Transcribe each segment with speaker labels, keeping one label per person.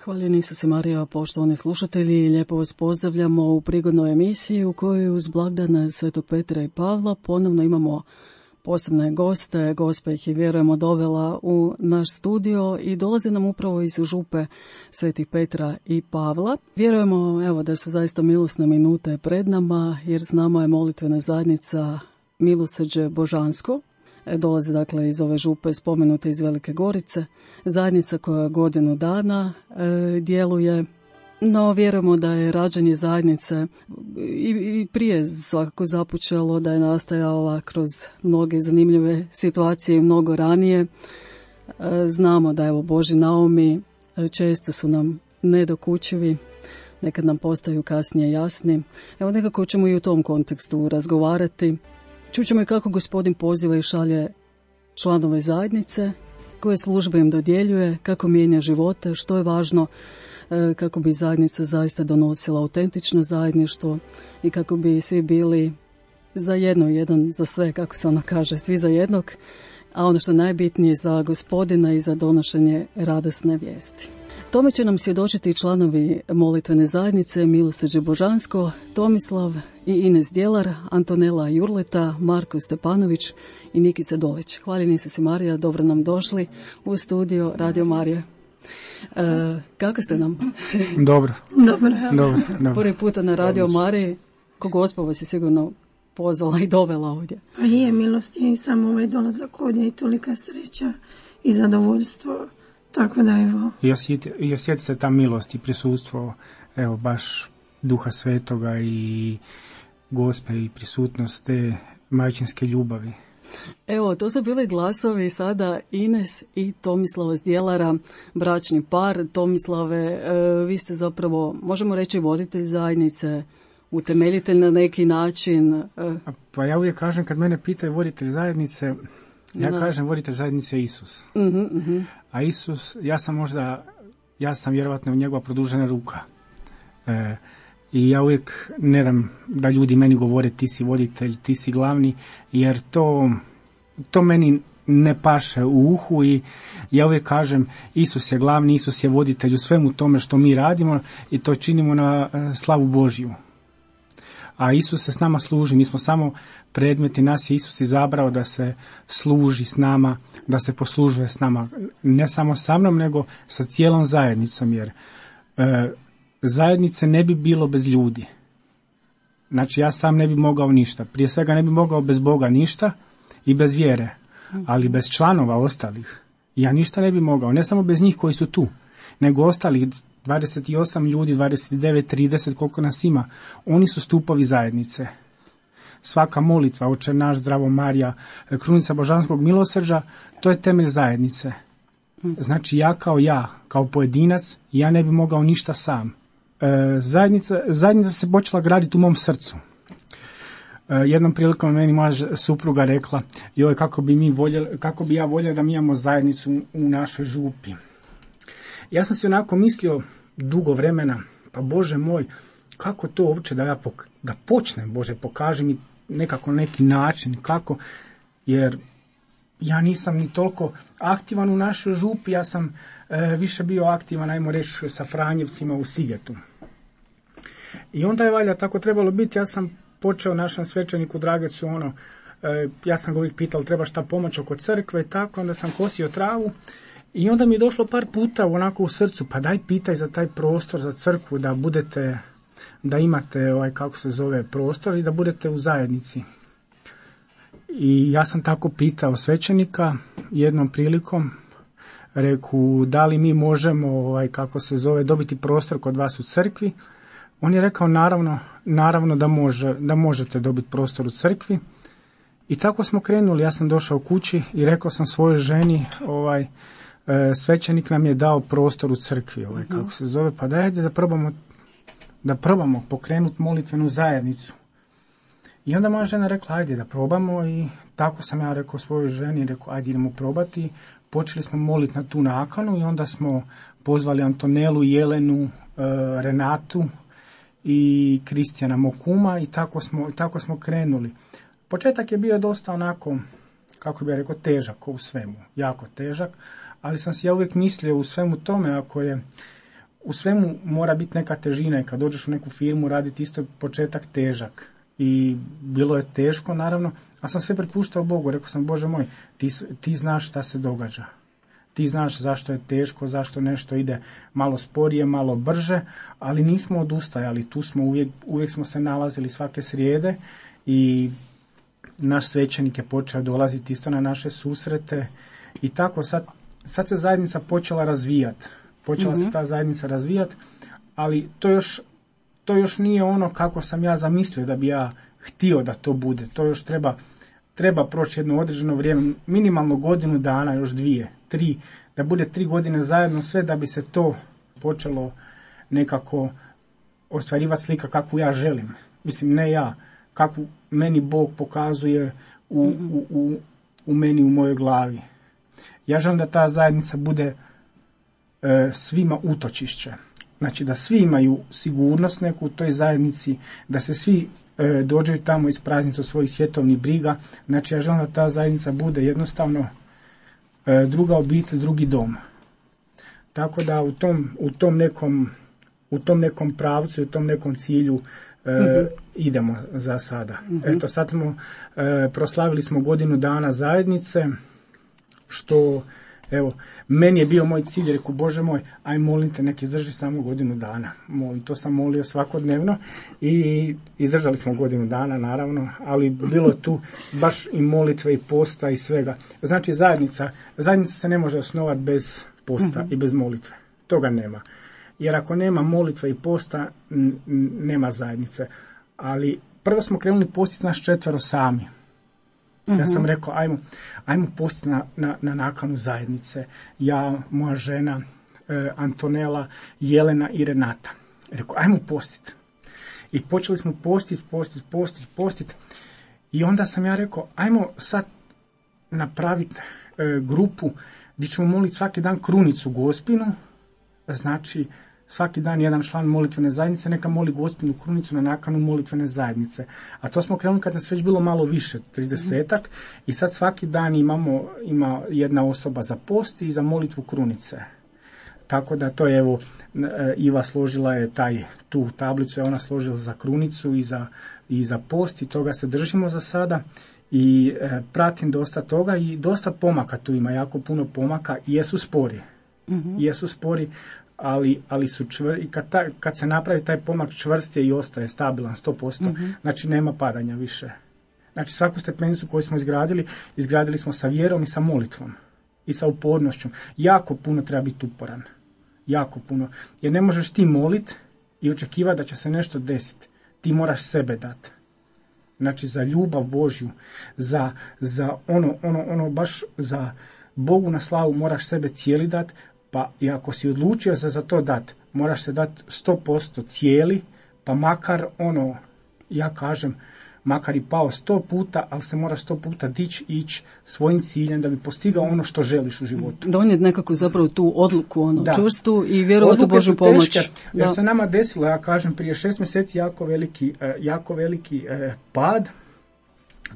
Speaker 1: Hvaljeni Isuse Marija, poštovani slušatelji, lijepo vas pozdravljamo u prigodnoj emisiji u kojoj uz blagdane Svetog Petra i Pavla ponovno imamo posebne goste. Gospa ih je, vjerujemo, dovela u naš studio i dolaze nam upravo iz župe Svetih Petra i Pavla. Vjerujemo, evo, da su zaista milosne minute pred nama, jer s nama je molitvena zajednica Milosrđe Božansko. Dolazi dakle iz ove župe spomenute iz Velike Gorice, zajednica koja godinu dana djeluje, no vjerujemo da je rađanje zajednice i prije svakako započelo, da je nastajala kroz mnoge zanimljive situacije i mnogo ranije. Znamo da evo Božji naumi često su nam nedokučivi, nekad nam postaju kasnije jasni. Evo nekako ćemo i u tom kontekstu razgovarati. Čućemo i kako Gospodin poziva i šalje članove zajednice, koje službe im dodjeljuje, kako mijenja živote, što je važno kako bi zajednica zaista donosila autentično zajedništvo i kako bi svi bili za jedno, jedan za sve, kako se ono kaže, svi za jednog, a ono što je najbitnije za Gospodina i za donošenje radosne vijesti. Tome će nam svjedočiti članovi molitvene zajednice Milosrđe Božansko, Tomislav i Ines Djelar, Antonela Jurleta, Marko Stepanović i Nikica Dolić. Hvaljeni Isuse Marija, dobro nam došli u studio Radio Marije. Kako ste nam?
Speaker 2: Dobro.
Speaker 1: Prvi puta na Radio Mariji, ko Gospa vas je sigurno pozvala i dovela ovdje.
Speaker 3: Pa je, milost je i samo ovaj dolazak ovdje i tolika sreća i zadovoljstvo. Tako da evo.
Speaker 2: I osjeti se ta milost i prisustvo, evo baš Duha Svetoga i Gospe i prisutnost te majčinske ljubavi.
Speaker 1: Evo, to su bili glasovi sada Ines i Tomislava Zdjelara, bračni par. Tomislave, vi ste zapravo, možemo reći, voditelj zajednice, utemeljitelj na neki način.
Speaker 2: Pa ja uvijek kažem, kad mene pitaju voditelj zajednice, ja kažem voditelj zajednice Isus. A Isus, ja sam vjerovatno njegova produžena ruka. I ja uvijek ne dam da ljudi meni govore ti si voditelj, ti si glavni, jer to meni ne paše u uhu i ja uvijek kažem Isus je glavni, Isus je voditelj u svemu tome što mi radimo i to činimo na slavu Božju. A Isus se s nama služi, mi smo samo predmeti, nas je Isus izabrao da se služi s nama, da se poslužuje s nama, ne samo sa mnom, nego sa cijelom zajednicom, jer zajednice ne bi bilo bez ljudi. Znači ja sam ne bi mogao ništa, prije svega ne bi mogao bez Boga ništa i bez vjere, ali bez članova ostalih ja ništa ne bi mogao, ne samo bez njih koji su tu, nego ostalih 28 ljudi, 29, 30, koliko nas ima, oni su stupovi zajednice. Svaka molitva, Oče naš, Zdravo Marija, Krunica Božanskog milosrđa, to je temelj zajednice. Znači ja, kao pojedinac, ja ne bi mogao ništa sam. Zajednica se počela graditi u mom srcu. Jednom prilikom meni moja supruga rekla, joj, kako bi ja voljela da mi imamo zajednicu u našoj župi. Ja sam si onako mislio dugo vremena, pa Bože moj, kako to uopće da počnem, Bože, pokaži mi nekako neki način, kako, jer ja nisam ni toliko aktivan u našoj župi, ja sam više bio aktivan, ajmo reći, sa Franjevcima u Sigetu. I onda je valjda tako trebalo biti, ja sam počeo našem svećeniku Dragecu, ja sam ga uvijek pitao, treba šta pomoć oko crkve i tako, onda sam kosio travu. I onda mi je došlo par puta onako u srcu, pa daj pitaj za taj prostor, za crkvu, da imate prostor i da budete u zajednici. I ja sam tako pitao svećenika jednom prilikom, reku, da li mi možemo, dobiti prostor kod vas u crkvi. On je rekao, naravno da možete dobiti prostor u crkvi. I tako smo krenuli, ja sam došao kući i rekao sam svojoj ženi, svećenik nam je dao prostor u crkvi, pa dajte da probamo pokrenuti molitvenu zajednicu. I onda moja žena rekla, ajde da probamo, i tako sam ja rekao svojoj ženi, ajde idemo probati. Počeli smo moliti na tu nakanu i onda smo pozvali Antonelu, Jelenu, Renatu i Kristijana Mokuma i tako smo krenuli. Početak je bio dosta onako, kako bih rekao, težak u svemu, jako težak, ali sam si ja uvijek mislio u svemu tome, ako je u svemu mora biti neka težina i kad dođeš u neku firmu raditi isto početak težak. I bilo je teško naravno, a sam sve prepuštao Bogu. Rekao sam, Bože moj, ti znaš šta se događa. Ti znaš zašto je teško, zašto nešto ide malo sporije, malo brže, ali nismo odustajali. Tu smo uvijek smo se nalazili svake srijede i naš svećenik je počeo dolaziti isto na naše susrete i tako sad se zajednica počela razvijati. Počela se ta zajednica razvijati, ali to još nije ono kako sam ja zamislio da bi ja htio da to bude. To još treba proći jedno određeno vrijeme, minimalno godinu dana, još 2, 3, da bude 3 godine zajedno sve da bi se to počelo nekako ostvarivati slika kakvu ja želim. Mislim, ne ja, kakvu meni Bog pokazuje u meni, u mojoj glavi. Ja želim da ta zajednica bude svima utočišće. Znači da svi imaju sigurnost neku u toj zajednici, da se svi dođeju tamo iz praznicu svojih svjetovnih briga. Znači ja želim da ta zajednica bude jednostavno druga obitelj, drugi dom. Tako da u tom nekom pravcu, u tom nekom cilju idemo za sada. Eto, sad proslavili smo godinu dana zajednice, što evo, meni je bio moj cilj, rekao, Bože moj, aj molim te, nek izdrži samo godinu dana. To sam molio svakodnevno i izdržali smo godinu dana, naravno, ali bilo tu baš i molitve i posta i svega. Znači, zajednica se ne može osnovati bez posta i bez molitve. Toga nema. Jer ako nema molitve i posta, nema zajednice. Ali prvo smo krenuli postiti nas 4 sami. Ja sam rekao, ajmo postiti na nakanu zajednice. Ja, moja žena, Antonela, Jelena i Renata. Rekao, ajmo postiti. I počeli smo postiti. I onda sam ja rekao, ajmo sad napraviti grupu gdje ćemo moliti svaki dan krunicu Gospinu. Znači, svaki dan jedan član molitvene zajednice neka moli Gospinu krunicu na nakanu molitvene zajednice. A to smo krenuli kad nas već bilo malo više, 30-ak, i sad svaki dan ima jedna osoba za post i za molitvu krunice. Tako da to je, evo, Iva složila je tu tablicu, je ona složila za krunicu i za post i toga se držimo za sada. I pratim dosta toga i dosta pomaka tu ima, jako puno pomaka i jesu spori, ali su čvrsti. I kad se napravi taj pomak, čvrst je i ostaje stabilan 100%, znači nema padanja više. Znači svaku stepenicu koju smo izgradili smo sa vjerom i sa molitvom i sa upornošću. Jako puno treba biti uporan, jako puno, jer ne možeš ti moliti i očekivati da će se nešto desiti. Ti moraš sebe dati. Znači za ljubav Božju, za ono baš za Bogu na slavu moraš sebe cijeli dati, pa i ako si odlučio se za to dati, moraš se dati 100% cijeli, pa makar ja kažem, makar i pao 100 puta, ali se moraš 100 puta dići i ići svojim ciljem da bi postigao ono što želiš u životu.
Speaker 1: Donijeti nekako zapravo tu odluku, čvrstu i vjerovati u Božju pomoć.
Speaker 2: Jer se nama desilo, ja kažem, prije 6 mjeseci jako veliki pad.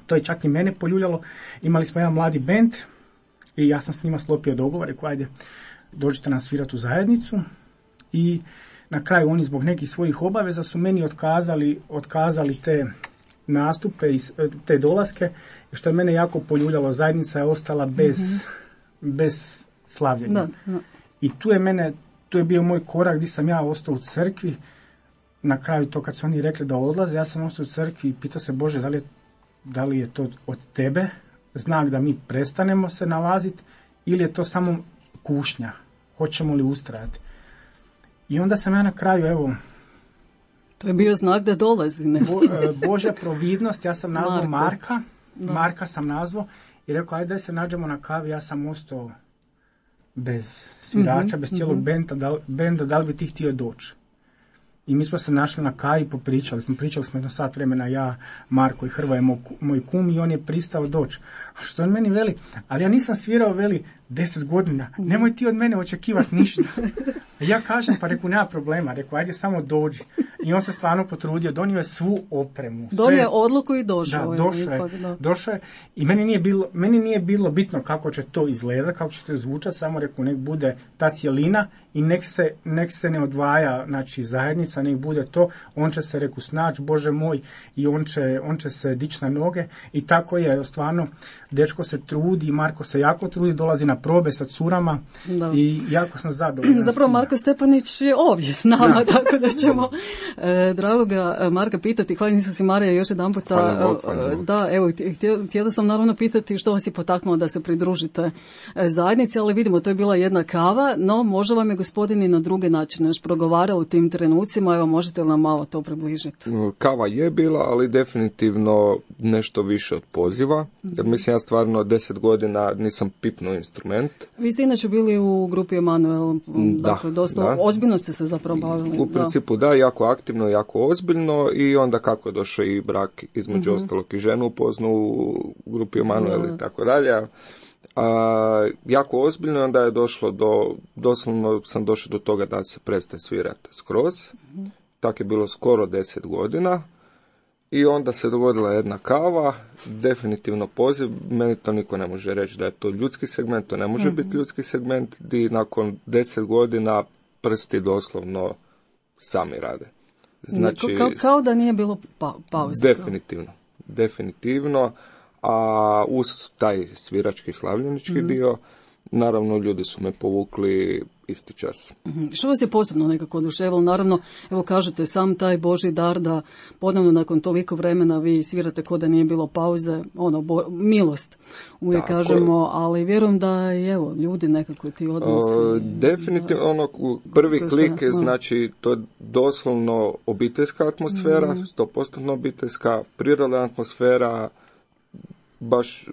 Speaker 2: To je čak i mene poljuljalo. Imali smo jedan mladi bend i ja sam s njima sklopio dogovor, rekao, ajde, dođite nas svirati u zajednicu. I na kraju oni zbog nekih svojih obaveza su meni otkazali te nastupe i te dolaske, što je mene jako poljuljalo. Zajednica je ostala bez slavljenja. Da. I tu je bio moj korak gdje sam ja ostao u crkvi. Na kraju to kad su oni rekli da odlaze, ja sam ostao u crkvi i pitao se, Bože, da li je to od tebe znak da mi prestanemo se nalaziti ili je to samo kušnja, hoćemo li ustrajati. I onda sam ja na kraju, evo,
Speaker 1: to je bio znak da dolazi, ne?
Speaker 2: Božja providnost, ja sam nazvao Marka sam nazvao i rekao, ajde da se nađemo na kavi, ja sam ostao bez svirača, bez cijelog benda, da li bi ti htio doći? I mi smo se našli na kavi, pričali smo jedno sat vremena, ja, Marko i Hrvoje, moj kum, i on je pristao doći. A što on meni veli, ali ja nisam svirao, veli, 10 godina, nemoj ti od mene očekivati ništa. Ja kažem, pa reku, nema problema, reku, ajde samo dođi. I on se stvarno potrudio, donio je svu opremu.
Speaker 1: Donio odluku i došao.
Speaker 2: Da, došao je. I meni nije bilo bitno kako će to izgledati, kako će to zvučati, samo rekao nek bude ta cjelina i nek se ne odvaja, znači zajednica, nek bude to, on će se reku snaći, Bože moj, i on će se dići na noge i tako je, stvarno, dečko se trudi, Marko se jako trudi, dolazi na probe sa curama i jako sam zadovoljan.
Speaker 1: Zapravo Marko Stepanić je ovdje s nama, tako da ćemo dragoga Marka pitati, hvala nisam si Marija još jedan puta, da, evo, htjela sam naravno pitati što vas je potaknulo da se pridružite zajednici, ali vidimo, to je bila jedna kava, no možda vam je gospodin i na druge načine još progovarao u tim trenucima, evo možete li nam malo to približiti?
Speaker 4: Kava je bila, ali definitivno nešto više od poziva, jer mislim ja stvarno 10 godina nisam pipnuo instrument.
Speaker 1: Vi ste inače bili u grupi Emanuel, dakle dosta ozbiljno ste se zapravo bavili.
Speaker 4: U principu da, jako aktivno, jako ozbiljno i onda kako je došao i brak između ostalog i ženu upoznao u grupi Emanuel i tako dalje. Jako ozbiljno, onda je došlo doslovno sam došao do toga da se prestaje svirati skroz. Tako je bilo skoro 10 godina. I onda se dogodila jedna kava, definitivno poziv, meni to niko ne može reći da je to ljudski segment, to ne može biti ljudski segment gdje nakon 10 godina prsti doslovno sami rade. Znači,
Speaker 1: kao da nije bilo pauze.
Speaker 4: Definitivno, a uz taj svirački slavljenički dio, naravno ljudi su me povukli isti čas.
Speaker 1: Što vas je posebno nekako oduševilo? Naravno, evo kažete, sam taj Božji dar da ponovno nakon toliko vremena vi svirate ko da nije bilo pauze, milost uvijek kažemo, ali vjerujem da i evo, ljudi nekako ti odnosi.
Speaker 4: Definitivno, prvi klik, znači to je doslovno obiteljska atmosfera, 100% obiteljska, prirodna atmosfera,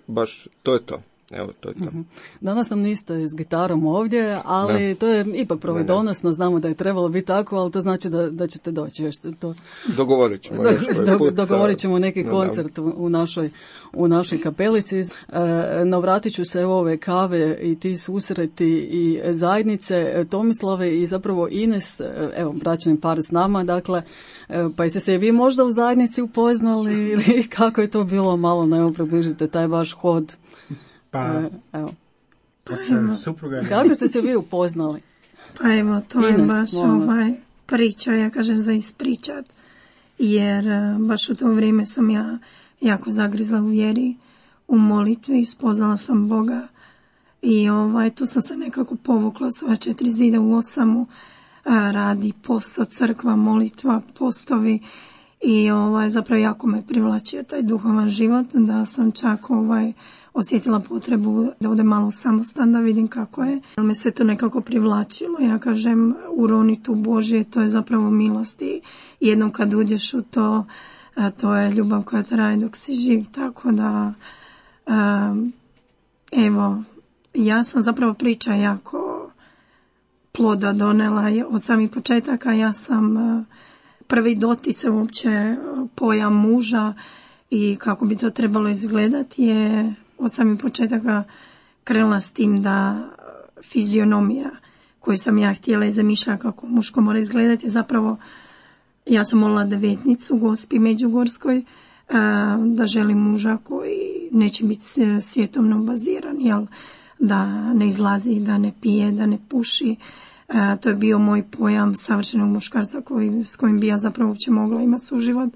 Speaker 4: baš to je to. Evo, to je to.
Speaker 1: Danas nam niste s gitarom ovdje, ali to je ipak providonosno, znamo da je trebalo biti tako, ali to znači da ćete doći.
Speaker 4: Dogovorit ćemo.
Speaker 1: Dogovorit ćemo neki koncert u našoj kapelici. No vratit ću se ove kave i ti susreti i zajednice Tomislave i zapravo Ines, evo bračni par s nama, dakle, pa jeste se vi možda u zajednici upoznali ili kako je to bilo, malo evo približite taj vaš hod.
Speaker 2: Evo.
Speaker 1: Kako ste se vi upoznali?
Speaker 3: Pa evo, to je baš priča, ja kažem za ispričat, jer baš u to vrijeme sam ja jako zagrizla u vjeri, u molitvi, spoznala sam Boga i tu sam se nekako povukla svoja 4 zida u Osamu, radi posao, crkva, molitva, postovi i zapravo jako me privlačio taj duhovan život, da sam čak osjetila potrebu da odem malo u samostan, da vidim kako je. Me se to nekako privlačilo. Ja kažem, uroniti u Božje, to je zapravo milost i jednom kad uđeš u to, to je ljubav koja traje dok si živ. Tako da, evo, ja sam zapravo priča jako ploda donela od samih početaka. Ja sam prvi dotice uopće pojam muža i kako bi to trebalo izgledati je od samih početaka krenula s tim da fizionomija koju sam ja htjela i zamišljala kako muško mora izgledati, zapravo ja sam molila devetnicu u Gospi Međugorskoj da želim muža koji neće biti svjetovno baziran, jel, da ne izlazi, da ne pije, da ne puši. To je bio moj pojam savršenog muškarca s kojim bi ja zapravo uopće mogla imati suživot.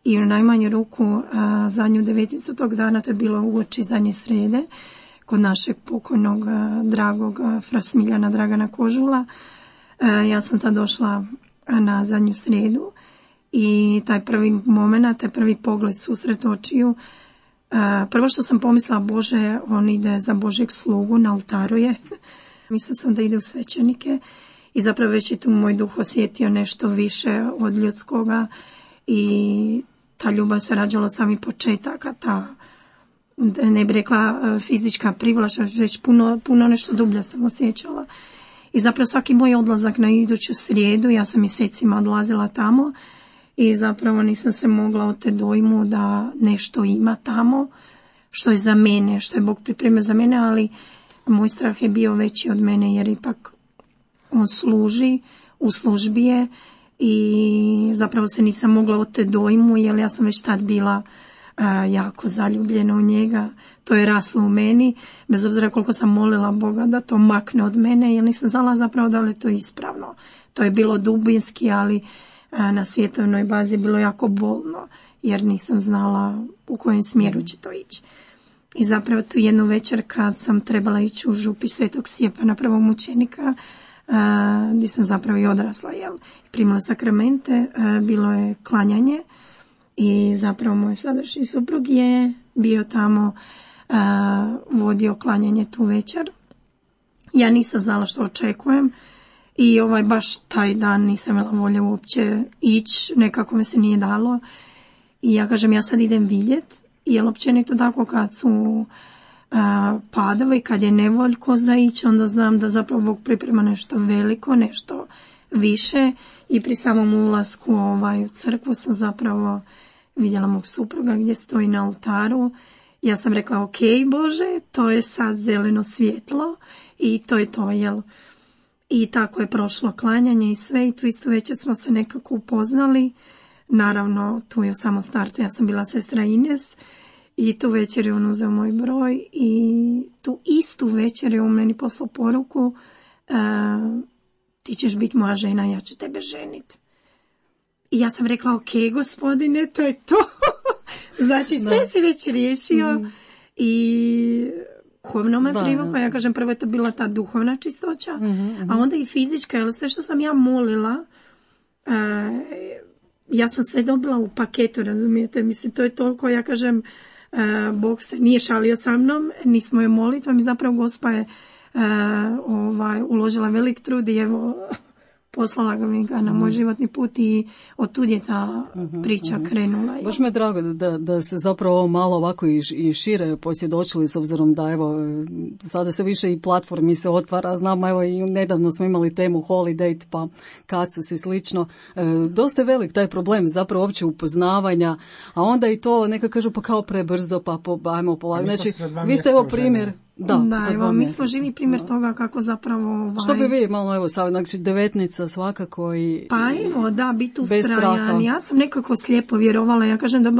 Speaker 3: I u najmanju ruku zadnju devetnicu tog dana, to je bilo uoči zadnje srede, kod našeg pokojnog dragog fra Smiljana Dragana Kožula. Ja sam tad došla na zadnju sredu i taj prvi moment, taj prvi pogled, susret očiju, prvo što sam pomislila, Bože, on ide za Božjeg slugu, na oltaru je. Mislila sam da ide u svećenike i zapravo već je tu moj duh osjetio nešto više od ljudskoga i ta ljubav se rađala samih početaka, ta, ne bih rekla fizička privlačnost, već puno nešto dublje sam osjećala. I zapravo svaki moj odlazak na iduću srijedu, ja sam mjesecima odlazila tamo i zapravo nisam se mogla od te dojmu da nešto ima tamo, što je za mene, što je Bog pripremio za mene, ali moj strah je bio veći od mene jer ipak on služi, u službi je i zapravo se nisam mogla od te dojmu, jer ja sam već tad bila jako zaljubljena u njega. To je raslo u meni, bez obzira koliko sam molila Boga da to makne od mene, jer nisam znala zapravo da li je to ispravno. To je bilo dubinski, ali na svjetovnoj bazi je bilo jako bolno, jer nisam znala u kojem smjeru će to ići. I zapravo tu jednu večer kad sam trebala ići u župi Svetog Stjepana, prvog mučenika, gdje sam zapravo i odrasla, primila sakramente, bilo je klanjanje i zapravo moj sadašnji suprug je bio tamo, vodio klanjanje tu večer. Ja nisam znala što očekujem i baš taj dan nisam imala volje uopće ići, nekako mi se nije dalo. I ja kažem, ja sad idem vidjeti, jer općenito tako kad su padovi, kad je nevoljko za ići, onda znam da zapravo Bog priprema nešto veliko, nešto više. I pri samom ulasku u crkvu sam zapravo vidjela mog supruga gdje stoji na oltaru. Ja sam rekla, ok Bože, to je sad zeleno svjetlo i to je to, jel? I tako je prošlo klanjanje i sve, i tu isto večer smo se nekako upoznali. Naravno, tu je u samom startu, ja sam bila sestra Ines i tu večer je on uzeo moj broj i tu istu večer je on meni poslao poruku, ti ćeš biti moja žena, ja ću tebe ženiti. I ja sam rekla, ok gospodine, to je to. Znači, sve si već riješio i duhovno me privuklo. Ja kažem, prvo je to bila ta duhovna čistoća, a onda i fizička, jer sve što sam ja molila, ja sam sve dobila u paketu, razumijete? Mislim, to je toliko, ja kažem, Bog se nije šalio sa mnom, nismo je molitvom i zapravo Gospa je uložila velik trud i evo, poslala ga na moj životni put i od tud je ta priča krenula.
Speaker 1: Baš me je drago da ste zapravo malo ovako i šire posvjedočili, s obzirom da evo sada se više i platformi se otvara, znam evo i nedavno smo imali temu Holiday pa Kacus i slično. Dosta je velik taj problem zapravo uopće upoznavanja, a onda i to neka kažu pa kao prebrzo pa ajmo polako. Znači vi ste evo primjer. Da,
Speaker 3: evo, mi smo živi primjer toga kako zapravo...
Speaker 1: Što bi vi malo, evo, znači 19 svakako i...
Speaker 3: Pa evo, da, biti ustrajan. Ja sam nekako slijepo vjerovala. Ja kažem da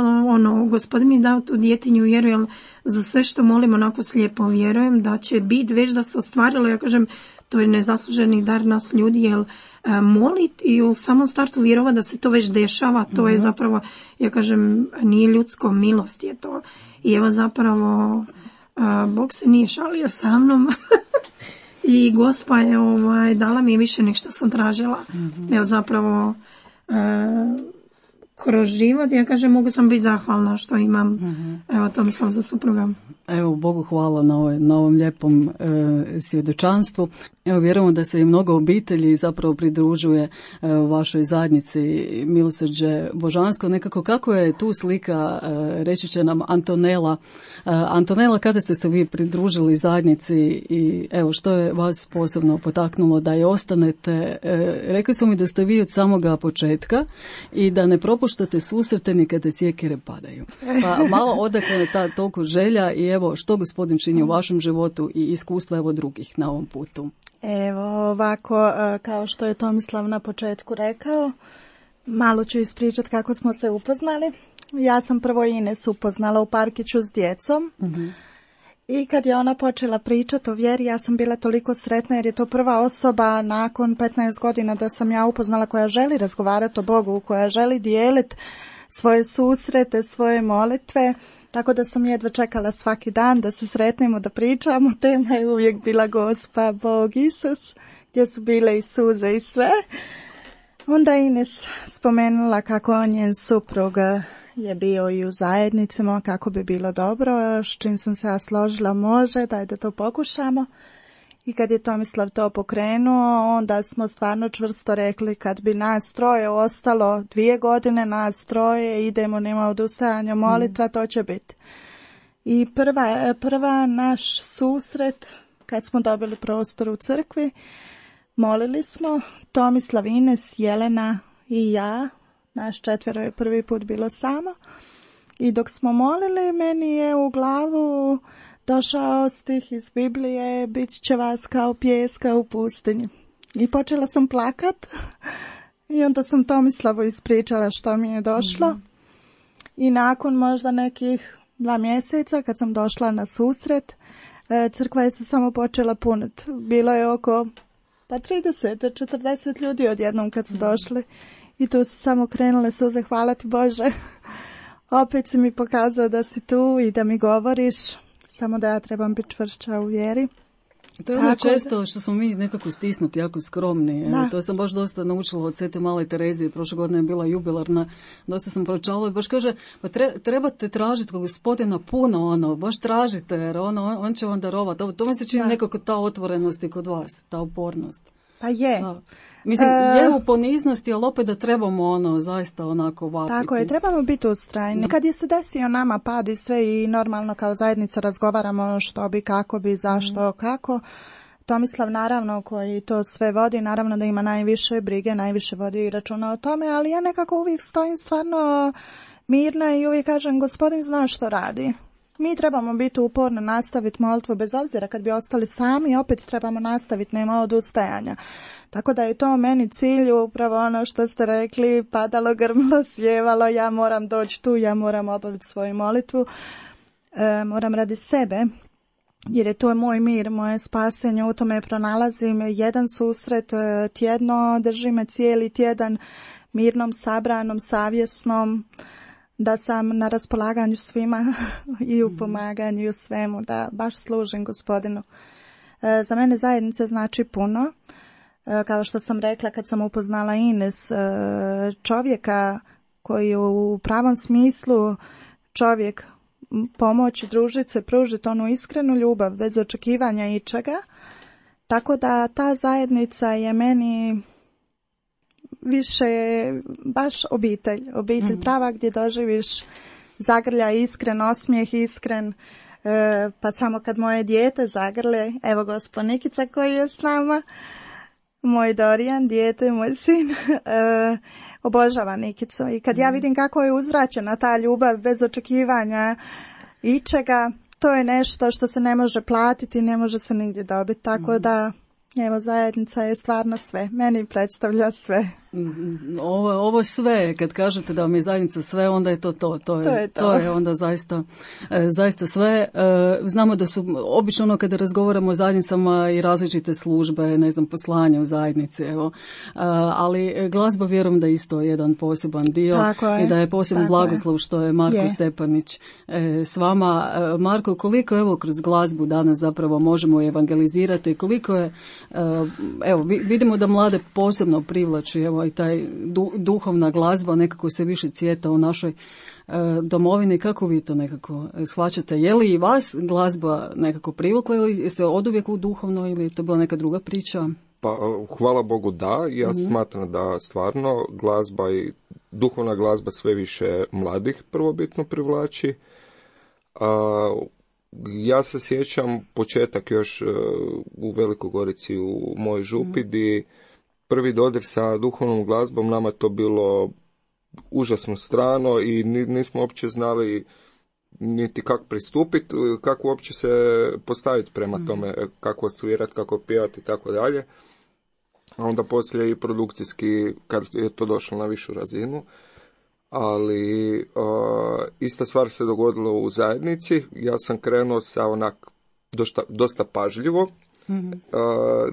Speaker 3: Gospodin mi dao tu djetinju vjeru, jer za sve što molim onako slijepo vjerujem da će biti već da se ostvarilo. Ja kažem, to je nezasluženi dar nas ljudi, jer molit i u samom startu vjerova da se to već dešava, to je zapravo, ja kažem, nije ljudsko, milost je to. I evo zapravo... Bog se nije šalio sa mnom i Gospa je dala mi više nek što sam tražila. Jer zapravo kroz život, ja kažem, mogu sam biti zahvalna što imam evo to mislim za supruga.
Speaker 1: Evo, Bogu hvala na ovom lijepom svjedočanstvu. Evo, vjerujemo da se i mnogo obitelji zapravo pridružuje vašoj zajednici Milosrđe Božansko. Nekako kako je tu slika, reći će nam Antonela. Antonela, kada ste se vi pridružili zajednici i evo što je vas posebno potaknulo da je ostanete? Rekli su mi da ste vi od samoga početka i da ne propuštate susrete ni kada sjekire padaju. Pa malo odakle je ta toliko želja i evo što Gospodin čini u vašem životu i iskustva evo drugih na ovom putu.
Speaker 5: Evo ovako, kao što je Tomislav na početku rekao, malo ću ispričati kako smo se upoznali. Ja sam prvo Ines upoznala u parkiću s djecom i kad je ona počela pričati o vjeri, ja sam bila toliko sretna jer je to prva osoba nakon 15 godina da sam ja upoznala koja želi razgovarati o Bogu, koja želi dijeliti svoje susrete, svoje molitve. Tako da sam jedva čekala svaki dan da se sretnemo, da pričamo. Tema je uvijek bila Gospa, Bog, Isus, gdje su bile i suze i sve. Onda Ines spomenula kako njen suprug je bio i u zajednicama, kako bi bilo dobro, s čim sam se ja složila, može, daj da to pokušamo. I kad je Tomislav to pokrenuo, onda smo stvarno čvrsto rekli kad bi nas troje ostalo 2 godine, nas troje, idemo, nema odustajanja, molitva, to će biti. I prva naš susret, kad smo dobili prostor u crkvi, molili smo, Tomislav, Ines, Jelena i ja, naš 4 je prvi put bilo samo. I dok smo molili, meni je u glavu došao stih iz Biblije, bit će vas kao pijeska u pustinji. I počela sam plakat I onda sam Tomislavu ispričala što mi je došlo. I nakon možda nekih 2 mjeseca kad sam došla na susret, crkva je se samo počela puniti. Bilo je oko 30-40 ljudi odjednom kad su došli. I tu su samo krenule suze, hvala ti Bože. Opet si mi pokazao da si tu i da mi govoriš, samo da ja trebam biti čvršća u vjeri.
Speaker 1: To je ono često što smo mi nekako stisnuti, jako skromni. To sam baš dosta naučila od Svete Male Terezije. Prošle godine je bila jubilarna. Dosta sam pročala i baš kaže, pa trebate tražiti kod Gospodina puno, baš tražite, jer on će vam darovati. To mi se čini nekako ta otvorenost i kod vas, ta upornost.
Speaker 5: Pa je.
Speaker 1: Da. Mislim, je u poniznosti, ali opet da trebamo zaista onako vapiti.
Speaker 5: Tako je, trebamo biti ustrajni. Kad je se desio nama pad i sve i normalno kao zajednica razgovaramo što bi, kako bi, zašto, kako. Tomislav naravno koji to sve vodi, naravno da ima najviše brige, najviše vodi i računa o tome, ali ja nekako uvijek stojim stvarno mirna i uvijek kažem Gospodin zna što radi. Mi trebamo biti uporno, nastaviti molitvu bez obzira kad bi ostali sami, opet trebamo nastaviti, nema odustajanja. Tako da je to meni cilj, upravo ono što ste rekli, padalo, grmilo, sjevalo, ja moram doći tu, ja moram obaviti svoju molitvu, moram radi sebe, jer je to moj mir, moje spasenje, u tome pronalazim jedan susret tjedno, drži me cijeli tjedan mirnom, sabranom, savjesnom, da sam na raspolaganju svima i u pomaganju i u svemu, da baš služim Gospodinu. Za mene zajednica znači puno. Kao što sam rekla kad sam upoznala Ines, čovjeka koji je u pravom smislu čovjek pomoći, družiti se, pružiti onu iskrenu ljubav bez očekivanja ičega. Tako da ta zajednica je meni više baš obitelj prava gdje doživiš zagrlja, iskren osmijeh, iskren, pa samo kad moje dijete zagrle, evo gospo Nikica koji je s nama, moj Dorijan, dijete, moj sin, obožava Nikicu i kad ja vidim kako je uzvraćena ta ljubav bez očekivanja ičega, to je nešto što se ne može platiti, ne može se nigdje dobiti, tako da evo, zajednica je stvarno sve. Meni predstavlja sve.
Speaker 1: Ovo sve, kad kažete da vam je zajednica sve, onda je to. To je onda zaista sve. Znamo da su, obično kada razgovaramo o zajednicama i različite službe, ne znam, poslanja u zajednici, evo. Ali glazba vjerujem da je isto jedan poseban dio i da je poseban blagoslov što je Marko Stepanić s vama. Marko, koliko evo kroz glazbu danas zapravo možemo evangelizirati, koliko je evo, vidimo da mlade posebno privlači, evo, i taj duhovna glazba nekako se više cvjeta u našoj domovini. Kako vi to nekako shvaćate? Je li i vas glazba nekako privukla ili jeste oduvijek u duhovno ili je to bila neka druga priča?
Speaker 4: Pa, hvala Bogu da. Ja smatram da stvarno glazba i duhovna glazba sve više mladih prvobitno privlači. Ja se sjećam početak još u Velikoj Gorici u mojoj župi, di prvi dodir sa duhovnom glazbom nama to bilo užasno strano i nismo uopće znali niti kako pristupiti, kako uopće se postaviti prema tome, kako svirati, kako pjevati i tako dalje. A onda poslije i produkcijski, kad je to došlo na višu razinu. Ali ista stvar se dogodila u zajednici. Ja sam krenuo sa onak dosta pažljivo,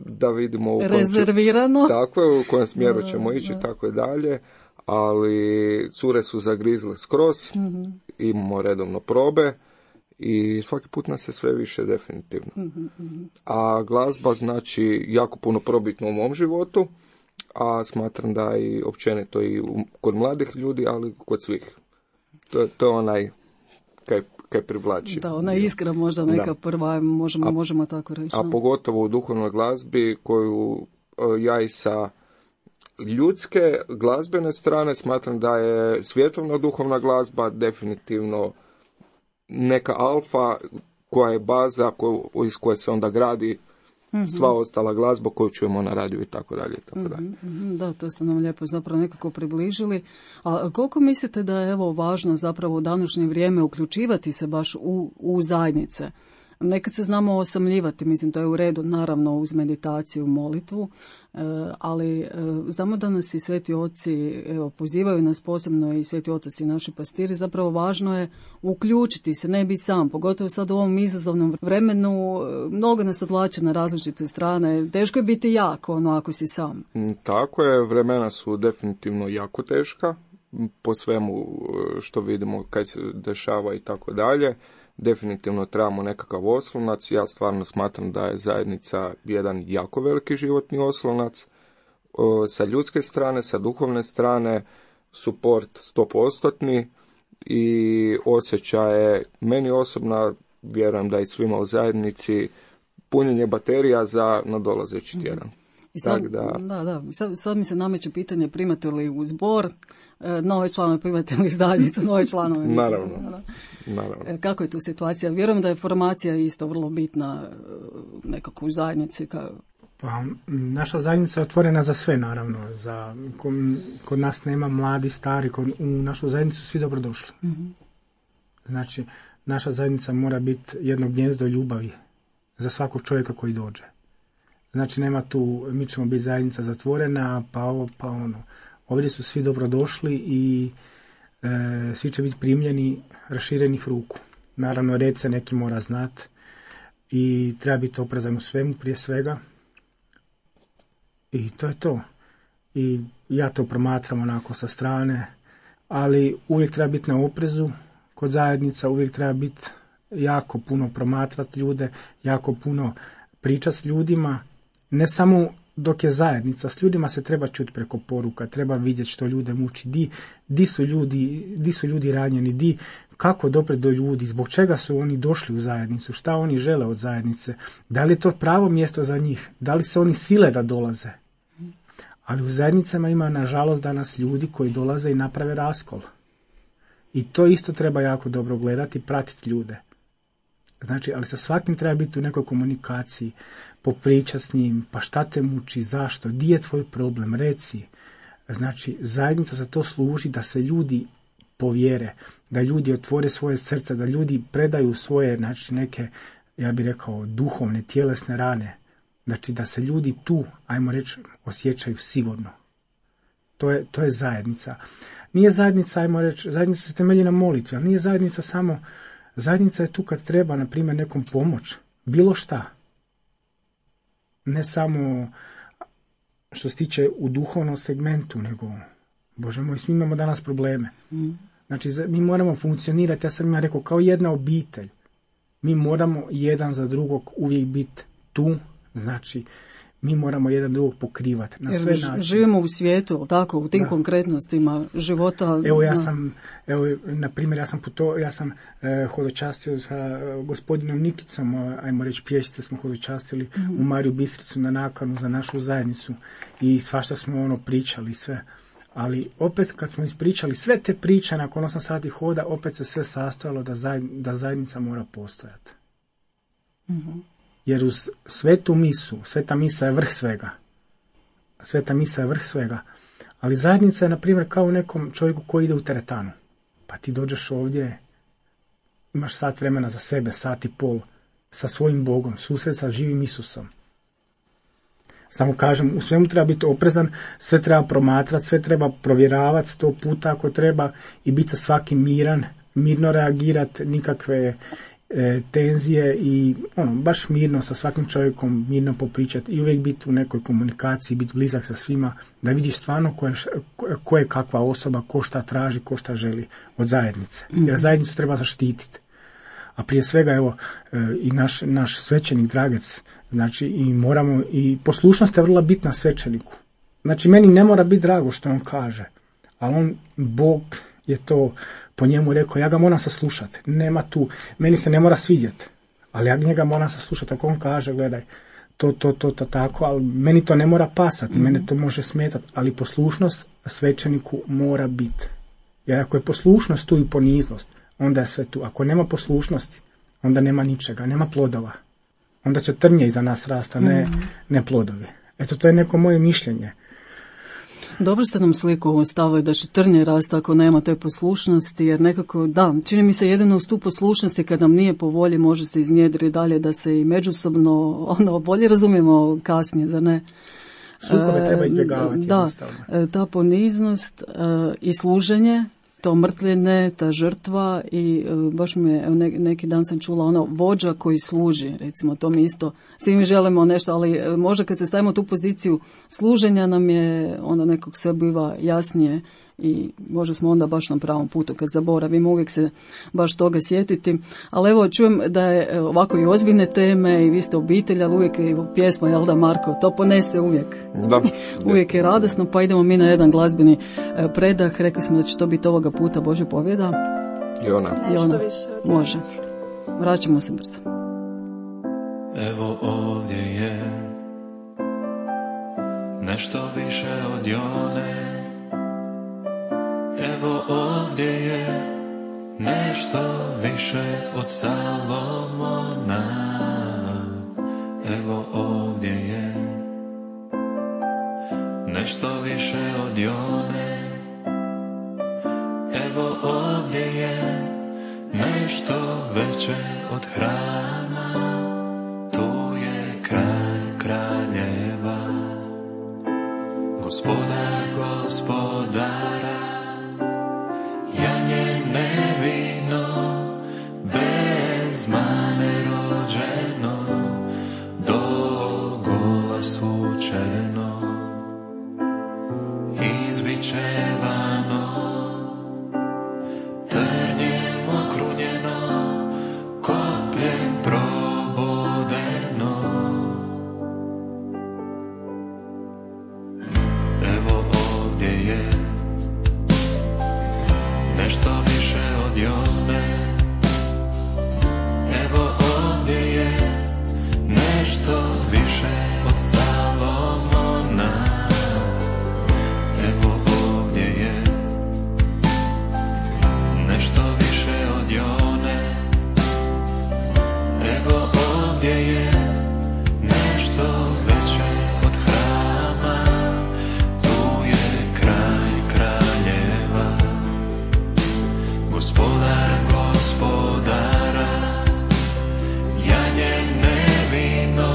Speaker 4: da vidimo u
Speaker 1: rezervirano.
Speaker 4: Tako je, u kojem smjeru ćemo ići i tako i dalje. Ali cure su zagrizle skroz, imamo redovno probe i svaki put nas je sve više definitivno. A glazba znači jako puno probitno u mom životu, a smatram da i općenito i kod mladih ljudi, ali kod svih. To je onaj kaj privlači.
Speaker 1: Da, ona iskra možda neka prva, možemo tako reći.
Speaker 4: A pogotovo u duhovnoj glazbi koju ja i sa ljudske glazbene strane smatram da je svjetovna duhovna glazba definitivno neka alfa koja je baza iz koje se onda gradi sva ostala glazba koju čujemo na radiju i tako dalje.
Speaker 1: Da, to ste nam lijepo zapravo nekako približili. A koliko mislite da je evo važno zapravo u današnje vrijeme uključivati se baš u zajednice? Nekad se znamo osamljivati, mislim, to je u redu, naravno uz meditaciju, molitvu, ali znamo da nas i sveti oci, pozivaju nas posebno i sveti otac i naši pastiri, zapravo važno je uključiti se, ne bi sam, pogotovo sad u ovom izazovnom vremenu, mnogo nas odvlače na različite strane, teško je biti jak, ako si sam.
Speaker 4: Tako je, vremena su definitivno jako teška, po svemu što vidimo kad se dešava i tako dalje. Definitivno trebamo nekakav oslonac. Ja stvarno smatram da je zajednica jedan jako veliki životni oslonac. Sa ljudske strane, sa duhovne strane, suport 100% i osjećaje, meni osobno, vjerujem da i svima u zajednici, punjenje baterija za nadolazeći tjedan.
Speaker 1: I sad mi se nameće pitanje, primate li u zbor nove članove, primate li zajednicu nove članove?
Speaker 4: Naravno.
Speaker 1: Kako je tu situacija? Vjerujem da je formacija isto vrlo bitna nekako u zajednici.
Speaker 2: Pa, naša zajednica je otvorena za sve, naravno. Kod nas nema mladi, stari, u našu zajednicu svi dobrodošli. Mm-hmm. Znači, naša zajednica mora biti jedno gnjezdo ljubavi za svakog čovjeka koji dođe. Znači, nema tu, mi ćemo biti zajednica zatvorena, pa ovo, pa ono. Ovdje su svi dobrodošli i svi će biti primljeni raširenih ruku. Naravno, red se neki mora znati i treba biti oprezan u svemu prije svega. I to je to. I ja to promatram onako sa strane, ali uvijek treba biti na oprezu kod zajednica, uvijek treba biti jako puno promatrati ljude, jako puno pričati s ljudima, ne samo dok je zajednica, s ljudima se treba čuti preko poruka, treba vidjeti što ljude muči, di su ljudi ranjeni, kako doprijeti do ljudi, zbog čega su oni došli u zajednicu, šta oni žele od zajednice, da li je to pravo mjesto za njih, da li se oni sile da dolaze. Ali u zajednicama ima nažalost danas ljudi koji dolaze i naprave raskol. I to isto treba jako dobro gledati, pratiti ljude. Znači, ali sa svakim treba biti u nekoj komunikaciji, popričati s njim, pa šta te muči, zašto, di je tvoj problem, reci. Znači, zajednica za to služi da se ljudi povjere, da ljudi otvore svoje srce, da ljudi predaju svoje, znači, neke, ja bih rekao, duhovne, tjelesne rane. Znači, da se ljudi tu, ajmo reći, osjećaju sigurno. To je zajednica. Nije zajednica, ajmo reći, zajednica se temelji na molitvi, ali nije zajednica samo, zajednica je tu kad treba, na primjer, nekom pomoć, bilo šta. Ne samo što se tiče u duhovnom segmentu, nego, Bože moj, svi imamo danas probleme. Znači, mi moramo funkcionirati, ja sam rekao, kao jedna obitelj. Mi moramo jedan za drugog uvijek biti tu, znači, mi moramo jedan drugog pokrivati na sve načine. Živimo
Speaker 1: u svijetu, tako, u tim konkretnostima života.
Speaker 2: Na primjer, ja sam hodočastio sa gospodinom Nikicom, ajmo reći pješice smo hodočastili u Mariju Bistricu na nakanu za našu zajednicu i svašta smo pričali sve. Ali opet kad smo ispričali sve te priče nakon 8 sati hoda, opet se sve sastojalo da zajednica mora postojati. Mm-hmm. Jer uz svetu misu, sveta misa je vrh svega. Sveta misa je vrh svega. Ali zajednica je, na primjer, kao u nekom čovjeku koji ide u teretanu. Pa ti dođeš ovdje, imaš sat vremena za sebe, sat i pol, sa svojim Bogom, susret sa živim Isusom. Samo kažem, u svemu treba biti oprezan, sve treba promatrati, sve treba provjeravati 100 puta ako treba i biti sa svakim miran, mirno reagirati, nikakve tenzije i baš mirno sa svakim čovjekom, mirno popričati i uvijek biti u nekoj komunikaciji, biti blizak sa svima, da vidiš stvarno ko je kakva osoba, ko šta traži, ko šta želi od zajednice. Jer zajednicu treba zaštititi. A prije svega, i naš svećenik Dragec, znači i poslušnost je vrlo bitna svećeniku. Znači, meni ne mora biti drago što on kaže, ali Bog je to po njemu rekao, ja ga moram saslušati. Nema tu, meni se ne mora svidjeti, ali ja njega moram saslušati. Ako on kaže, gledaj, to tako, ali meni to ne mora pasati, mene to može smetati, ali poslušnost svećeniku mora biti. Jer ako je poslušnost tu i poniznost, onda je sve tu. Ako nema poslušnosti, onda nema ničega, nema plodova. Onda će trnje iza nas rasta, ne plodovi. Eto, to je neko moje mišljenje.
Speaker 1: Dobro ste nam sliku stavili da će trnje rasti ako nema te poslušnosti, jer nekako, da, čini mi se jedino uz tu poslušnosti kad nam nije po volji može se iznjedriti dalje da se i međusobno bolje razumijemo kasnije, zar ne?
Speaker 2: Sukobe treba izbjegavati.
Speaker 1: Da, ta poniznost i služenje, to mrtvljenje, ta žrtva i baš mi je, neki dan sam čula vođa koji služi, recimo, to mi isto, svi mi želimo nešto, ali možda kad se stavimo u tu poziciju služenja nam je onda nekog sve biva jasnije i možda smo onda baš na pravom putu kad zaboravimo uvijek se baš toga sjetiti. Ali evo, čujem da je ovako i ozbiljne teme i vi ste obitelj, ali uvijek je pjesma, jel da, Marko, to ponese uvijek.
Speaker 4: Da.
Speaker 1: Uvijek je radosno, pa idemo mi na jedan glazbeni predah. Rekli smo da će to biti ovoga puta Božja pobjeda.
Speaker 4: I ona.
Speaker 1: Može. Vraćamo se brzo.
Speaker 6: Evo ovdje je nešto više od Jone. Evo ovdje je nešto više od Salomona. Evo ovdje je nešto više od Jone. Evo ovdje je nešto veće od hrama. Tu je kralj kraljeva, gospodar gospodara. Janje nevino, bez mane rođeno, do gola slučeno, izbičevano, trnjem okrunjeno, kopljem probodeno. Evo ovdje je nešto više od Jone. Evo ovdje je nešto više od Salomona. Evo ovdje je nešto više od Jone. Evo ovdje je nešto veće od hrama. Tu je kralj kraljeva, gospodar gospodara. Janje nevino,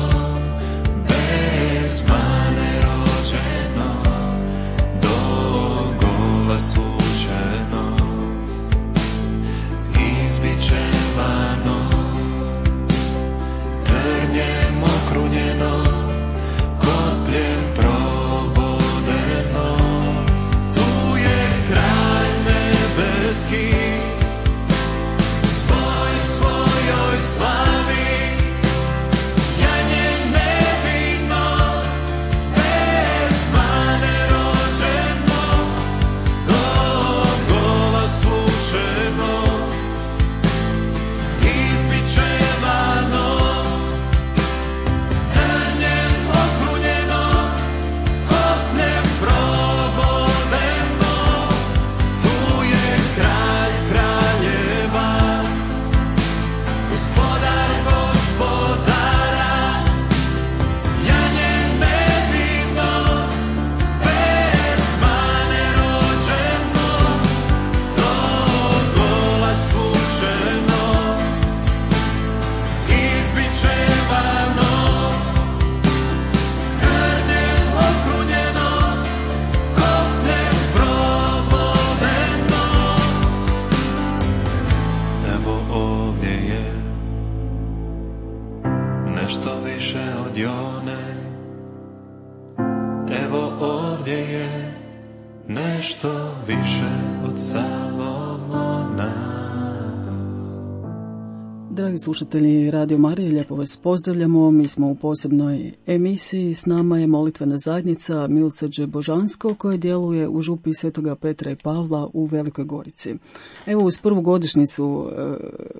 Speaker 6: bez mane rođeno, do gola slučeno, izbičevano, trnjem okrunjeno, kopljem probodeno. Tu je kralj nebeski, svojoj slavi. Janje nevino, bez mane rođeno, do gola slučeno, izbičevano, trnjem okrunjeno, kopljem probodeno. Tu je kralj kraljeva, gospodar gospodara. Janje nevino, bez mane rođeno, do gola slučeno, izbičevano, trnjem okrunjeno, kopljem probodeno. Evo ovdje je nešto više od Jone. Evo ovdje je nešto više od Salomona.
Speaker 1: Dragi slušatelji Radio Marije, lijepo vas pozdravljamo. Mi smo u posebnoj emisiji. S nama je molitvena zajednica Milosrđe Božansko koje djeluje u župi Svetoga Petra i Pavla u Velikoj Gorici. Evo, uz prvu godišnjicu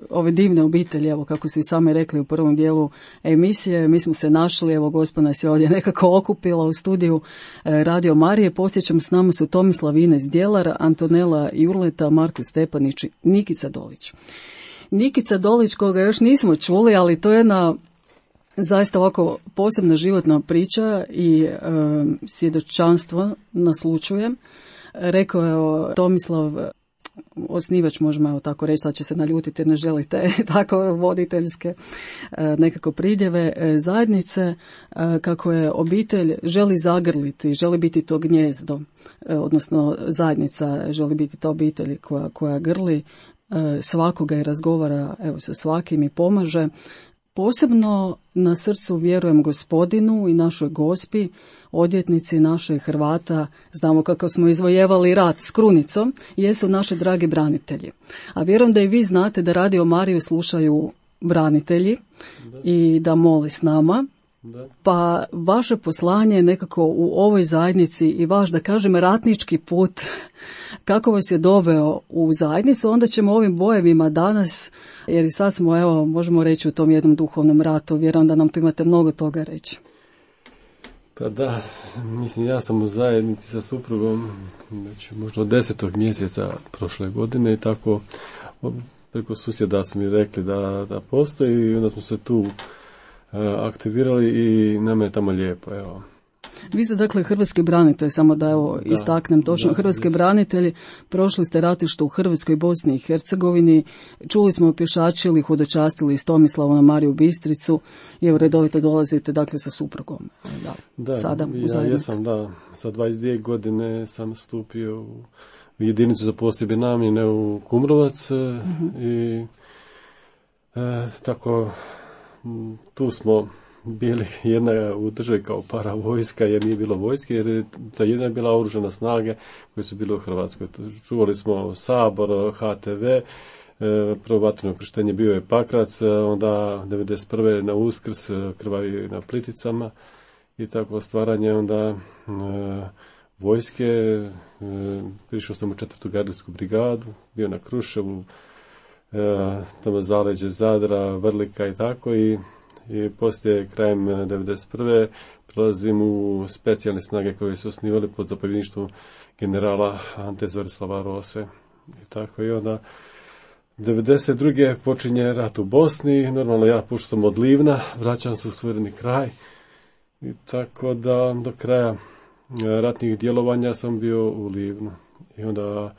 Speaker 1: ove divne obitelji, evo kako su i sami rekli u prvom dijelu emisije, mi smo se našli, evo Gospod nas je ovdje nekako okupila u studiju Radio Marije. Posjećam, s nama su Tomislav Ines Djelar, Antonela Jurleta, Marko Stepanić i Nikica Dolić. Nikica Dolić, koga još nismo čuli, ali to je jedna Zaista ovako posebna životna priča i svjedočanstvo naslučujem. Rekao je Tomislav, osnivač, možemo tako reći, sad će se naljutiti jer ne želite tako voditeljske nekako pridjeve zajednice, kako je obitelj želi zagrliti, želi biti to gnjezdo, odnosno zajednica želi biti ta obitelj koja grli svakoga i razgovara sa svakim i pomaže. Posebno na srcu vjerujem Gospodinu i našoj Gospi, odvjetnici naših Hrvata, znamo kako smo izvojevali rat s krunicom, jesu naši dragi branitelji. A vjerujem da i vi znate da Radio Mariju slušaju branitelji i da moli s nama. Pa vaše poslanje nekako u ovoj zajednici i vaš, da kažem, ratnički put, kako vas je doveo u zajednicu, onda ćemo ovim bojevima danas, jer i sad smo, možemo reći, u tom jednom duhovnom ratu, vjerujem da nam tu imate mnogo toga reći.
Speaker 7: Pa da, mislim, ja sam u zajednici sa suprugom možda od 10. mjeseca prošle godine i tako preko susjeda su mi rekli da postoji i onda smo se tu aktivirali i nam je tamo lijepo, evo.
Speaker 1: Vi ste dakle hrvatski branitelj, samo da istaknem točno, hrvatski branitelji, prošli ste ratište u Hrvatskoj, Bosni i Hercegovini, čuli smo pješačili, hodočastili iz Tomislava na Mariju Bistricu i redovito dolazite dakle sa suprugom. Sada u zajednicu.
Speaker 7: Ja jesam, sa 22 godine sam stupio u jedinicu za posebne namjene u Kumrovac i tako tu smo bili jedna u državi kao paravojska, jer nije bilo vojske, jer ta jedna je bila oružana snage koje su bile u Hrvatskoj. Čuvali smo Sabor, HTV, prvo vatreno krštenje bio je Pakrac, onda 91. na Uskrs, krvavi na Pliticama i tako stvaranje onda vojske. Prišao sam u 4. gardijsku brigadu, bio na Kruševu, tamo zaleđe Zadra, Vrlika i tako i poslije krajem 1991. prelazim u specijalne snage koje su osnivali pod zapovjedništvom generala Ante Zverislava Rose. I tako i onda 1992. počinje rat u Bosni, normalno ja pošto sam od Livna, vraćam se u suvereni kraj i tako da do kraja ratnih djelovanja sam bio u Livnu. I onda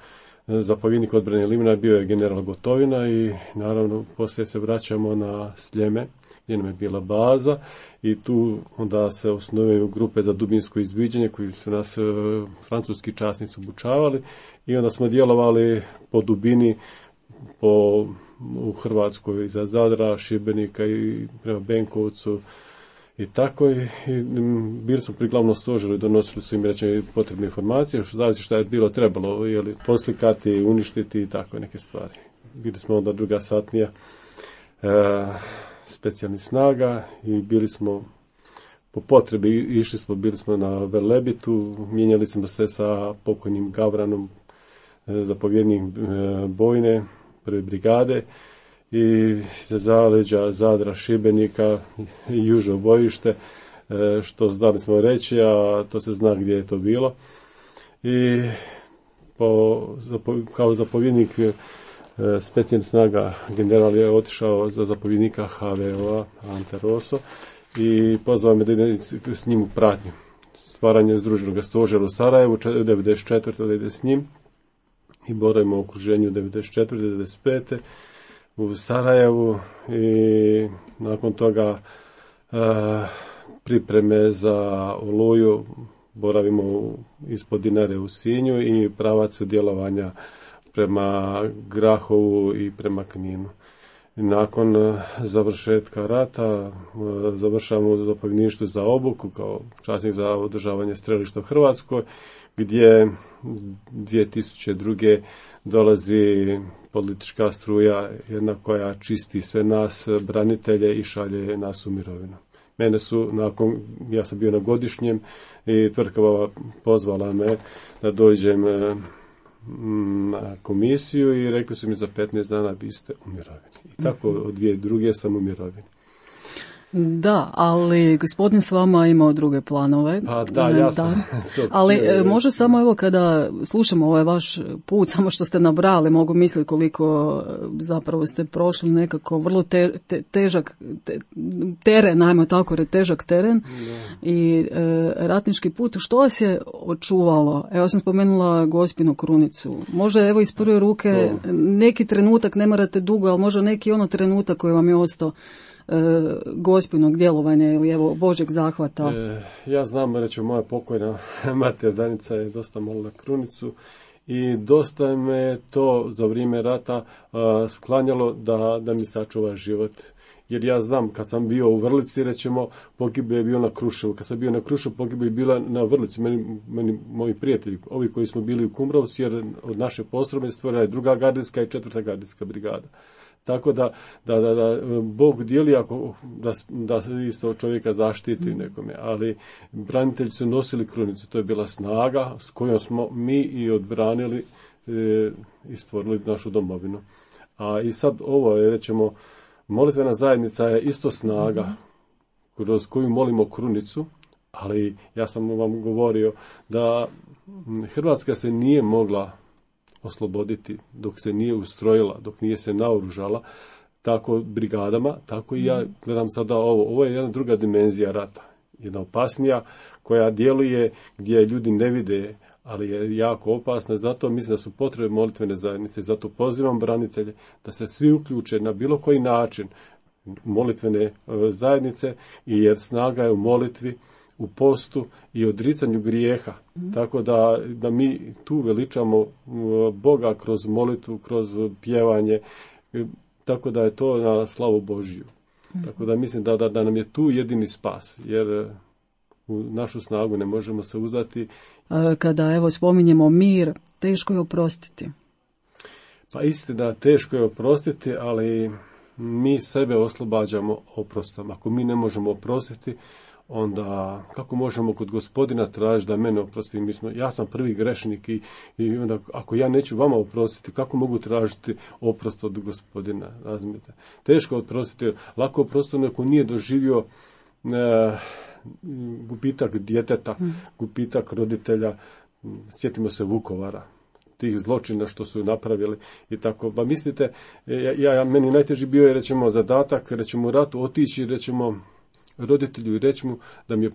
Speaker 7: zapovjednik odbrane Livna bio je general Gotovina i naravno poslije se vraćamo na Sljeme gdje nam je bila baza i tu onda se osnovaju grupe za dubinsko izviđanje koji su nas francuski časnici obučavali i onda smo djelovali po dubini u Hrvatskoj za Zadra, Šibenika i prema Benkovcu i tako i bili smo pri glavnom stožeru i donosili su im reći potrebne informacije, što je bilo trebalo poslikati, uništiti i tako neke stvari. Bili smo onda druga satnija specijalnih snaga i bili smo po potrebi, bili smo na Velebitu, mijenjali smo se sa pokojnim Gavranom, zapovjednik bojne, prve brigade i za zaleđa Zadra, Šibenika i južno bojište, što znali smo reći, a to se zna gdje je to bilo. I kao zapovjednik specijalnih snaga general je otišao za zapovjednika HVO-a Ante Rosso i pozvao me da idem s njim u pratnju. Stvaranje združenog stožera u Sarajevu, 1994. da ide s njim i boravimo u okruženju 1994. 1995. u Sarajevu i nakon toga pripreme za Oluju, boravimo ispod Dinare u Sinju i pravac djelovanja prema Grahovu i prema Kninu. Nakon završetka rata završavamo u zapovjedništvu za obuku kao časnik za održavanje strelišta u Hrvatskoj, gdje 2002. dolazi politička struja, jedna koja čisti sve nas branitelje i šalje nas u mirovinu. Mene su, ja sam bio na godišnjem i tvrtka pozvala me da dođem na komisiju i rekli su mi za 15 dana vi ste u mirovini. I tako od 2002. sam u mirovini.
Speaker 1: Da, ali gospodin s vama imao druge planove.
Speaker 7: Pa da, ja sam.
Speaker 1: Ali može samo evo kada slušamo ovaj vaš put, samo što ste nabrali, mogu misliti koliko zapravo ste prošli nekako vrlo težak teren, ajmo tako reći, težak teren i ratnički put. Što vas je očuvalo? Evo sam spomenula Gospinu krunicu. Možda evo iz prve ruke neki trenutak, ne morate dugo, ali možda neki trenutak koji vam je ostao Gospinog djelovanja ili evo Božeg zahvata.
Speaker 7: Ja znam, reći, moja pokojna mater Danica je dosta molila krunicu i dosta me to za vrijeme rata sklanjalo da mi sačuva život. Jer ja znam, kad sam bio u Vrlici, rećemo, pogibao je bio na Kruševu. Kad sam bio na Kruševu, pogibao je bila na Vrlici. Meni moji prijatelji, ovi koji smo bili u Kumrovcu, jer od naše postrojbe stvorila je 2. gardijska i 4. gardijska brigada. Tako da Bog dijeli da se isto čovjeka zaštiti nekome, ali branitelji su nosili krunicu, to je bila snaga s kojom smo mi i odbranili i stvorili našu domovinu. A i sad ovo je, rećemo, molitvena zajednica je isto snaga kroz koju molimo krunicu, ali ja sam vam govorio da Hrvatska se nije mogla osloboditi dok se nije ustrojila, dok nije se naoružala, tako brigadama, tako i ja gledam sada ovo je jedna druga dimenzija rata, jedna opasnija koja djeluje gdje ljudi ne vide, ali je jako opasna, zato mislim da su potrebe molitvene zajednice, zato pozivam branitelje da se svi uključe na bilo koji način molitvene zajednice, jer snaga je u molitvi, u postu i odricanju grijeha. Tako da mi tu veličamo Boga kroz molitvu, kroz pjevanje, tako da je to na slavu Božiju. Tako da mislim da nam je tu jedini spas, jer u našu snagu ne možemo se uzdati.
Speaker 1: Kada evo spominjemo mir, teško je oprostiti.
Speaker 7: Pa istina, teško je oprostiti, ali mi sebe oslobađamo oprostom. Ako mi ne možemo oprostiti, onda kako možemo kod Gospodina tražiti da mene oprosti? Ja sam prvi grešnik i onda ako ja neću vama oprostiti, kako mogu tražiti oprost od Gospodina? Razumijete? Teško oprostiti, lako oprostiti ako nije doživio gubitak djeteta, gubitak roditelja. Sjetimo se Vukovara, tih zločina što su napravili i tako. Pa mislite, meni najteži bio je, rećemo, zadatak, rećemo, u ratu otići, rećemo, roditelju i reći mu da mi je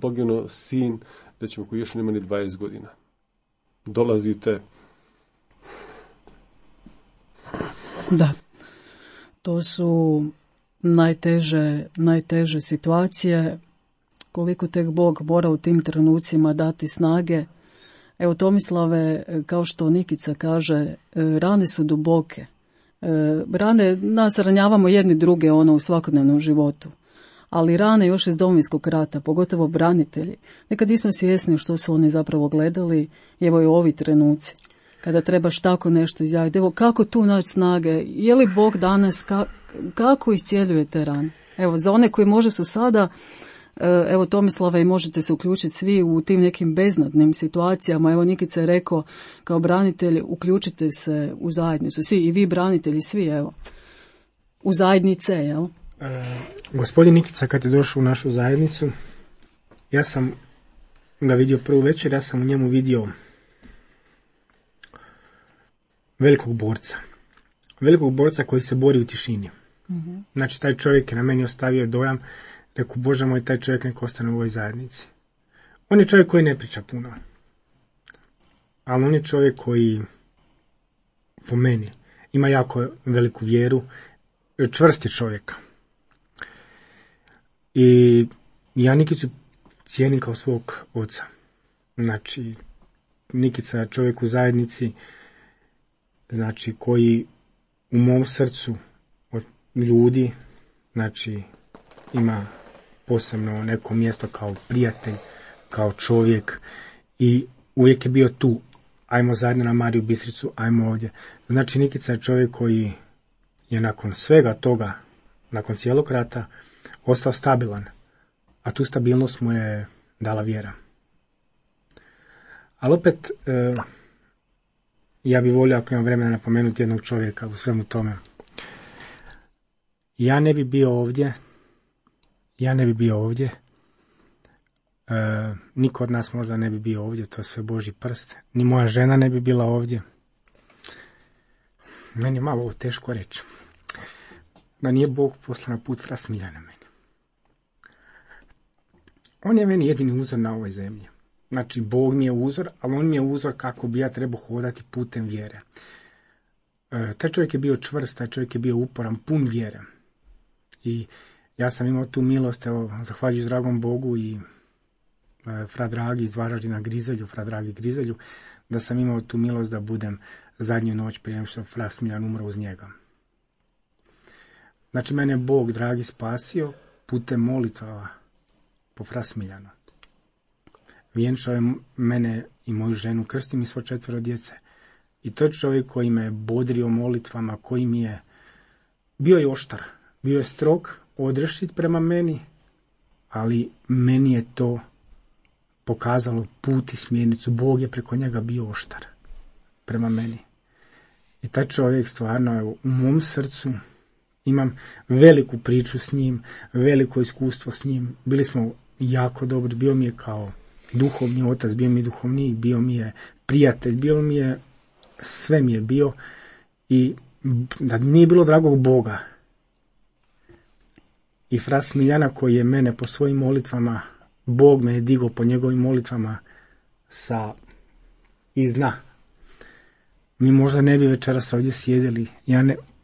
Speaker 7: poginuo sin, rećemo, koji još nema ni 20 godina. Dolazite.
Speaker 1: Da, to su najteže situacije, koliko tek Bog mora u tim trenucima dati snage. Evo, Tomislave, kao što Nikica kaže, rane su duboke. Rane, nas ranjavamo jedni druge u svakodnevnom životu. Ali rane još iz Domovinskog rata, pogotovo branitelji, nekad nismo svjesni što su oni zapravo gledali. Evo i ovi trenuci, kada trebaš tako nešto izjaviti. Evo, kako tu naći snage? Je li Bog danas, kako iscijeljuje te rane? Evo, za one koji možda su sada, evo Tomislava, i možete se uključiti svi u tim nekim beznadnim situacijama. Evo, Nikica je rekao, kao branitelji, uključite se u zajednicu. Svi, i vi branitelji, svi, evo, u zajednice, jel?
Speaker 2: Gospodin Nikica kad je došao u našu zajednicu, ja sam ga vidio prvu večer, ja sam u njemu vidio velikog borca koji se bori u tišini. Znači, taj čovjek je na meni ostavio dojam, rekao, Bože moj, taj čovjek nek ostane u ovoj zajednici. On je čovjek koji ne priča puno, ali on je čovjek koji, po meni, ima jako veliku vjeru, čvrst je čovjek. I ja Nikicu cijenim kao svog oca. Znači, Nikica je čovjek u zajednici, znači, koji u mom srcu od ljudi, znači, ima posebno neko mjesto kao prijatelj, kao čovjek, i uvijek je bio tu. Ajmo zajedno na Mariju Bistricu, ajmo ovdje. Znači, Nikica je čovjek koji je nakon svega toga, nakon cijelog rata, ostao stabilan, a tu stabilnost mu je dala vjera. Ali opet, ja bih volio, ako imam vremena, napomenuti jednog čovjeka u svemu tome. Ja ne bi bio ovdje ja ne bi bio ovdje. Niko od nas možda ne bi bio ovdje, to je sve Božji prst. Ni moja žena ne bi bila ovdje. Meni je malo ovo teško reći. Da nije Bog poslao na put fra Smiljana meni. On je meni jedini uzor na ovoj zemlji. Znači, Bog mi je uzor, ali on mi je uzor kako bi ja trebao hodati putem vjere. Taj čovjek je bio čvrst, taj čovjek je bio uporan, pun vjere. I ja sam imao tu milost, evo, zahvaljujući dragom Bogu i fra Dragi iz Varaždina Grizelju, fra Dragi Grizelju, da sam imao tu milost da budem zadnju noć prije nego što fra Smiljan umro uz njega. Znači, mene je Bog dragi spasio putem molitava po fra Smiljanu. Vjenčao je mene i moju ženu, krstim i svo 4 djece. I to je čovjek koji me bodrio molitvama, koji mi je bio je oštar, bio je strog, odrešit prema meni, ali meni je to pokazalo put i smjernicu. Bog je preko njega bio oštar prema meni. I taj čovjek stvarno, evo, u mom srcu imam veliku priču s njim, veliko iskustvo s njim. Bili smo jako dobri, bio mi je kao duhovni otac, bio mi je duhovnik, bio mi je prijatelj, bio mi je, sve mi je bio. I da nije bilo dragog Boga i fra Smiljana koji je mene po svojim molitvama, Bog me je digao po njegovim molitvama sa iz dna. Mi možda ne bi večeras ovdje sjedili.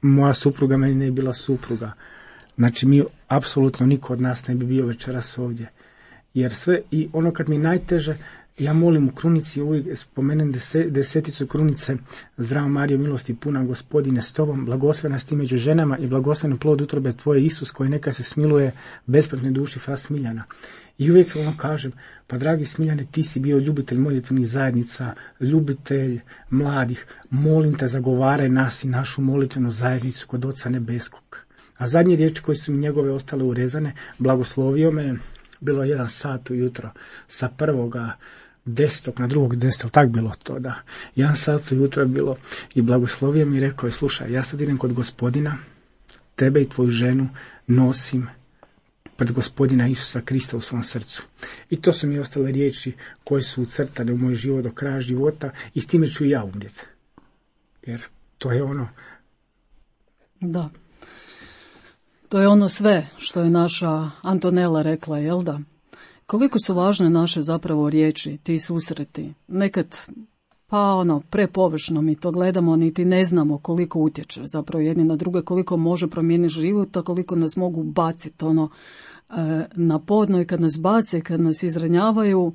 Speaker 2: Moja supruga meni ne bi bila supruga. Znači, mi apsolutno niko od nas ne bi bio večeras ovdje. Jer sve, i ono kad mi najteže, ja molim u krunici, uvijek spomenem deseticu krunice: Zdravo Marijo, milosti puna, Gospodine s tobom, blagoslovena si ti među ženama i blagosloven plod utrobe tvoje, Isus, koji neka se smiluje besprtnoj duši fra Smiljana. I uvijek ono kažem, pa dragi Smiljane, ti si bio ljubitelj molitvenih zajednica, ljubitelj mladih, molim te, zagovaraj nas i našu molitvenu zajednicu kod Oca Nebeskog. A zadnje riječi koje su mi njegove ostale urezane: blagoslovio me, bilo 1 sat ujutro, sa 1.10. na 2.10. tak bilo to, da. 1 sat ujutro je bilo i blagoslovio mi i rekao je: slušaj, ja sad idem kod Gospodina, tebe i tvoju ženu nosim pred Gospodina Isusa Krista u svom srcu. I to su mi ostale riječi koje su ucrtane u moj život do kraja života i s time ću i ja umrijeti. Jer to je ono...
Speaker 1: Da. To je ono sve što je naša Antonela rekla, jel da? Koliko su važne naše zapravo riječi, ti susreti. Nekad, prepovršno mi to gledamo, niti ne znamo koliko utječe zapravo jedni na druge, koliko može promijeniti život, a koliko nas mogu baciti na podno, i kad nas bace, kad nas izranjavaju,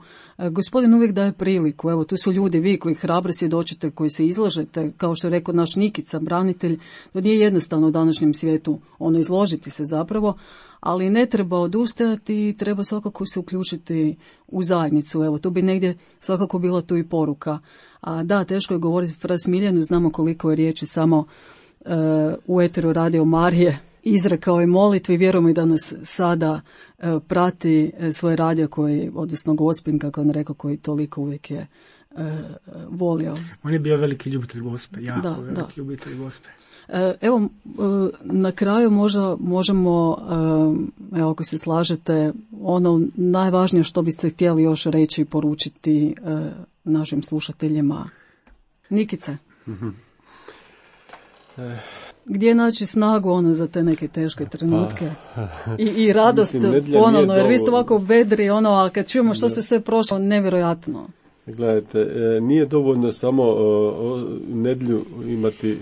Speaker 1: Gospodin uvijek daje priliku. Evo, tu su ljudi, vi koji hrabro svjedočite, koji se izlažete, kao što je rekao naš Nikica, branitelj. To nije jednostavno u današnjem svijetu izložiti se zapravo, ali ne treba odustajati i treba svakako se uključiti u zajednicu. Evo, tu bi negdje svakako bila tu i poruka. A da, teško je govoriti fra Smiljanu, znamo koliko je riječi samo u eteru Radio Marije izrekao je molitvi i vjerujemo i da nas sada prati svoj radio koji, odnosno Gospin, kako on rekao, koji toliko uvijek je volio.
Speaker 2: On je bio veliki ljubitelj Gospe, jako veliki ljubitelj Gospe.
Speaker 1: Evo, na kraju možemo, evo, ako se slažete, ono najvažnije što biste htjeli još reći i poručiti našim slušateljima. Nikice? Gdje naći snagu za te neke teške trenutke i radost ponovno, jer vi ste ovako vedri, a kad čujemo što ste sve prošlo, nevjerojatno.
Speaker 7: Gledajte, nije dovoljno samo nedjelju imati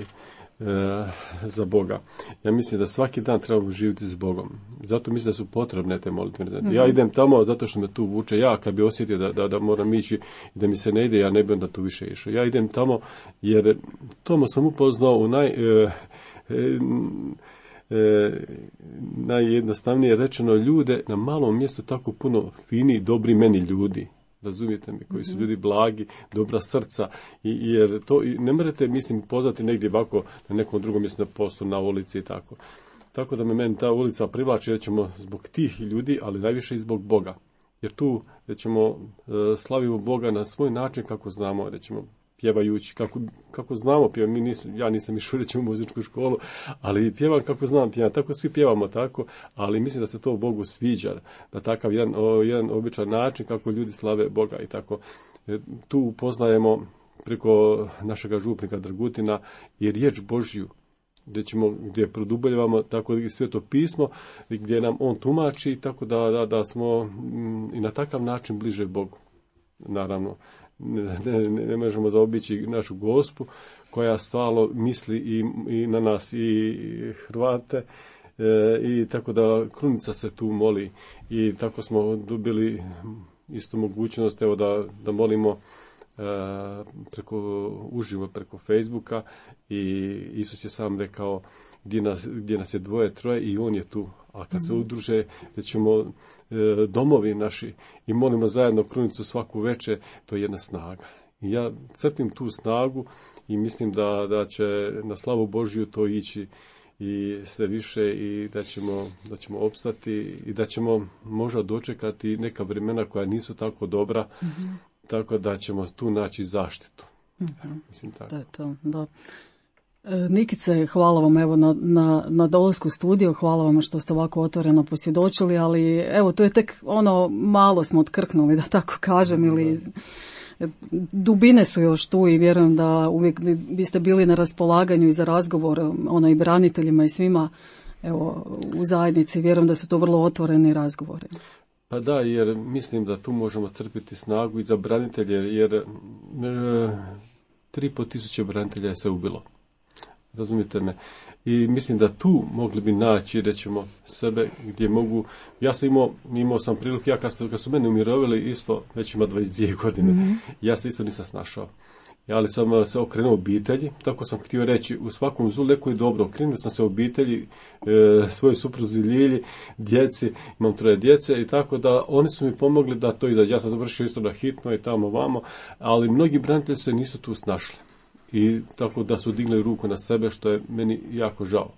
Speaker 7: za Boga. Ja mislim da svaki dan treba živjeti s Bogom. Zato mislim da su potrebne te molitve. Ja idem tamo zato što me tu vuče. Ja kad bi osjetio da moram ići i da mi se ne ide, ja ne bi onda tu više išao. Ja idem tamo jer tamo sam upoznao u najjednostavnije rečeno ljude na malom mjestu tako puno fini, dobri meni ljudi. Razumijete mi, koji su ljudi blagi, dobra srca, jer to ne morate, poznati negdje ovako na nekom drugom mjestu, na poslu, na ulici i tako. Tako da me meni ta ulica privlači, rećemo, zbog tih ljudi, ali najviše i zbog Boga. Jer tu, rećemo, slavimo Boga na svoj način kako znamo, rećemo, pjevajući, kako znamo pjevati, ja nisam išao reći u muzičku školu, ali pjevam kako znam pjevati, tako svi pjevamo tako, ali mislim da se to Bogu sviđa, da takav jedan običan način kako ljudi slave Boga i tako. Tu upoznajemo preko našega župnika Dragutina i riječ Božju, gdje produbljavamo tako i Sveto pismo, gdje nam on tumači, tako da smo i na takav način bliže Bogu. Naravno, ne možemo zaobići našu Gospu, koja stalno misli i na nas i Hrvate, i tako da Krunica se tu moli i tako smo dobili isto mogućnost da molimo uživo preko Facebooka i Isus je sam rekao gdje nas je 2-3 i on je tu, a kad se udruže ćemo domovi naši i molimo zajedno Krunicu svaku večer, to je jedna snaga. I ja crpim tu snagu i mislim da će na slavu Božju to ići i sve više i da ćemo opstati i da ćemo možda dočekati neka vremena koja nisu tako dobra, tako da ćemo tu naći zaštitu. Mislim tako.
Speaker 1: Da je to, da. Nikice, hvala vam evo na dolasku u studio, hvala vam što ste ovako otvoreno posvjedočili, ali evo to je tek malo smo otkrknuli, da tako kažem, ili dubine su još tu i vjerujem da uvijek biste bili na raspolaganju i za razgovor i braniteljima i svima evo u zajednici, vjerujem da su to vrlo otvoreni razgovori.
Speaker 7: Pa da, jer mislim da tu možemo crpiti snagu i za branitelje, jer 3.500 branitelja se ubilo. Razumijete me? I mislim da tu mogli bi naći, rećemo, sebe gdje mogu. Ja sam imao sam priliku, ja kad su mene umirovili isto, već ima 22 godine, ja se isto nisam snašao. Ali sam se okrenuo obitelji, tako sam htio reći, u svakom zlu neko je dobro. Okrenuo sam se obitelji, svojoj supruzi Ljilji, djeci, imam 3 djece i tako da oni su mi pomogli da to izađe. Ja sam završio isto na hitno i tamo vamo, ali mnogi branitelji se nisu tu snašli. I tako da su digli ruku na sebe, što je meni jako žao.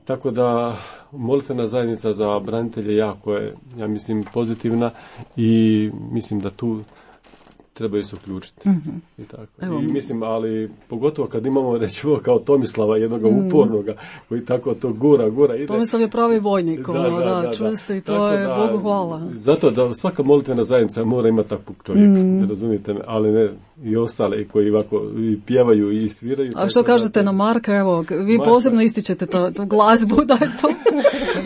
Speaker 7: Tako da molitvena zajednica za branitelje jako je, ja mislim, pozitivna i mislim da tu trebaju se uključiti. I tako. I mislim, ali pogotovo kad imamo, rećemo, kao Tomislava, jednog upornoga, koji tako to gura ide.
Speaker 1: Tomislav je pravi vojnik, čvrsti, to tako je, Bogu hvala.
Speaker 7: Zato da svaka molitvena zajednica mora imati takvog čovjeka, razumijete me, ali ne i ostale koji ovako i pjevaju i sviraju.
Speaker 1: A što kažete na Marka, evo, vi posebno ističete tu glazbu, da je to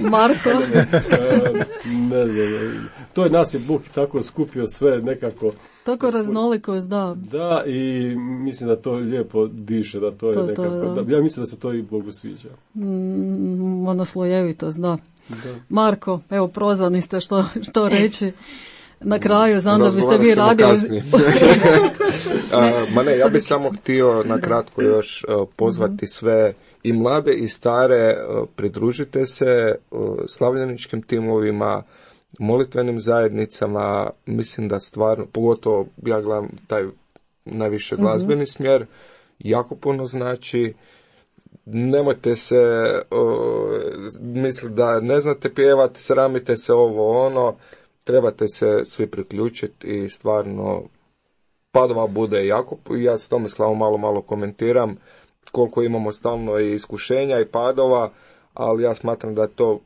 Speaker 1: Marko.
Speaker 7: To je nas je Bog tako skupio sve nekako.
Speaker 1: Tako raznolikost, da.
Speaker 7: Da, i mislim da to lijepo diše, da to je nekako. Ja mislim da se to i Bogu sviđa.
Speaker 1: Monoslojevitost, da. Marko, evo, prozvani ste što reći. Na kraju, znam da biste vi radili.
Speaker 4: Ja bih samo htio na kratko još pozvati sve i mlade i stare, pridružite se slavljeničkim timovima, molitvenim zajednicama. Mislim da stvarno, pogotovo ja gledam taj najviše glazbeni smjer, jako puno znači. Nemojte se misliti da ne znate pjevati, sramite se trebate se svi priključiti i stvarno padova bude jako. Ja s Tomislavom malo komentiram koliko imamo stalno i iskušenja i padova, ali ja smatram da je to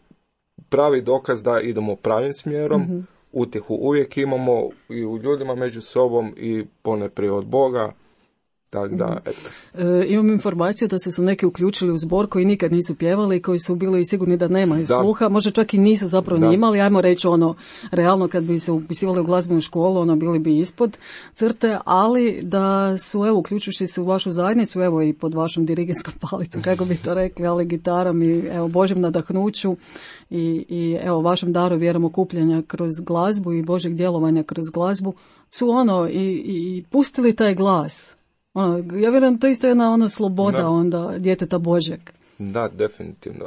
Speaker 4: pravi dokaz da idemo pravim smjerom. Utjehu uvijek imamo i u ljudima među sobom i ponajprije od Boga. Tako da,
Speaker 1: imam informaciju da su se neki uključili u zbor koji nikad nisu pjevali, koji su bili sigurni da nemaju sluha, možda čak i nisu zapravo ni imali, ajmo reći realno kad bi se upisivali u glazbenu školu, bili bi ispod crte, ali da su, uključujući se u vašu zajednicu, i pod vašom dirigentskom palicom, kako bi to rekli, ali gitarom i Božjem nadahnuću i vašem daru vjerom okupljanja kroz glazbu i Božjeg djelovanja kroz glazbu, su i pustili taj glas. Ja vjerujem, to isto je jedna sloboda onda djeteta Božjeg.
Speaker 4: Da, definitivno.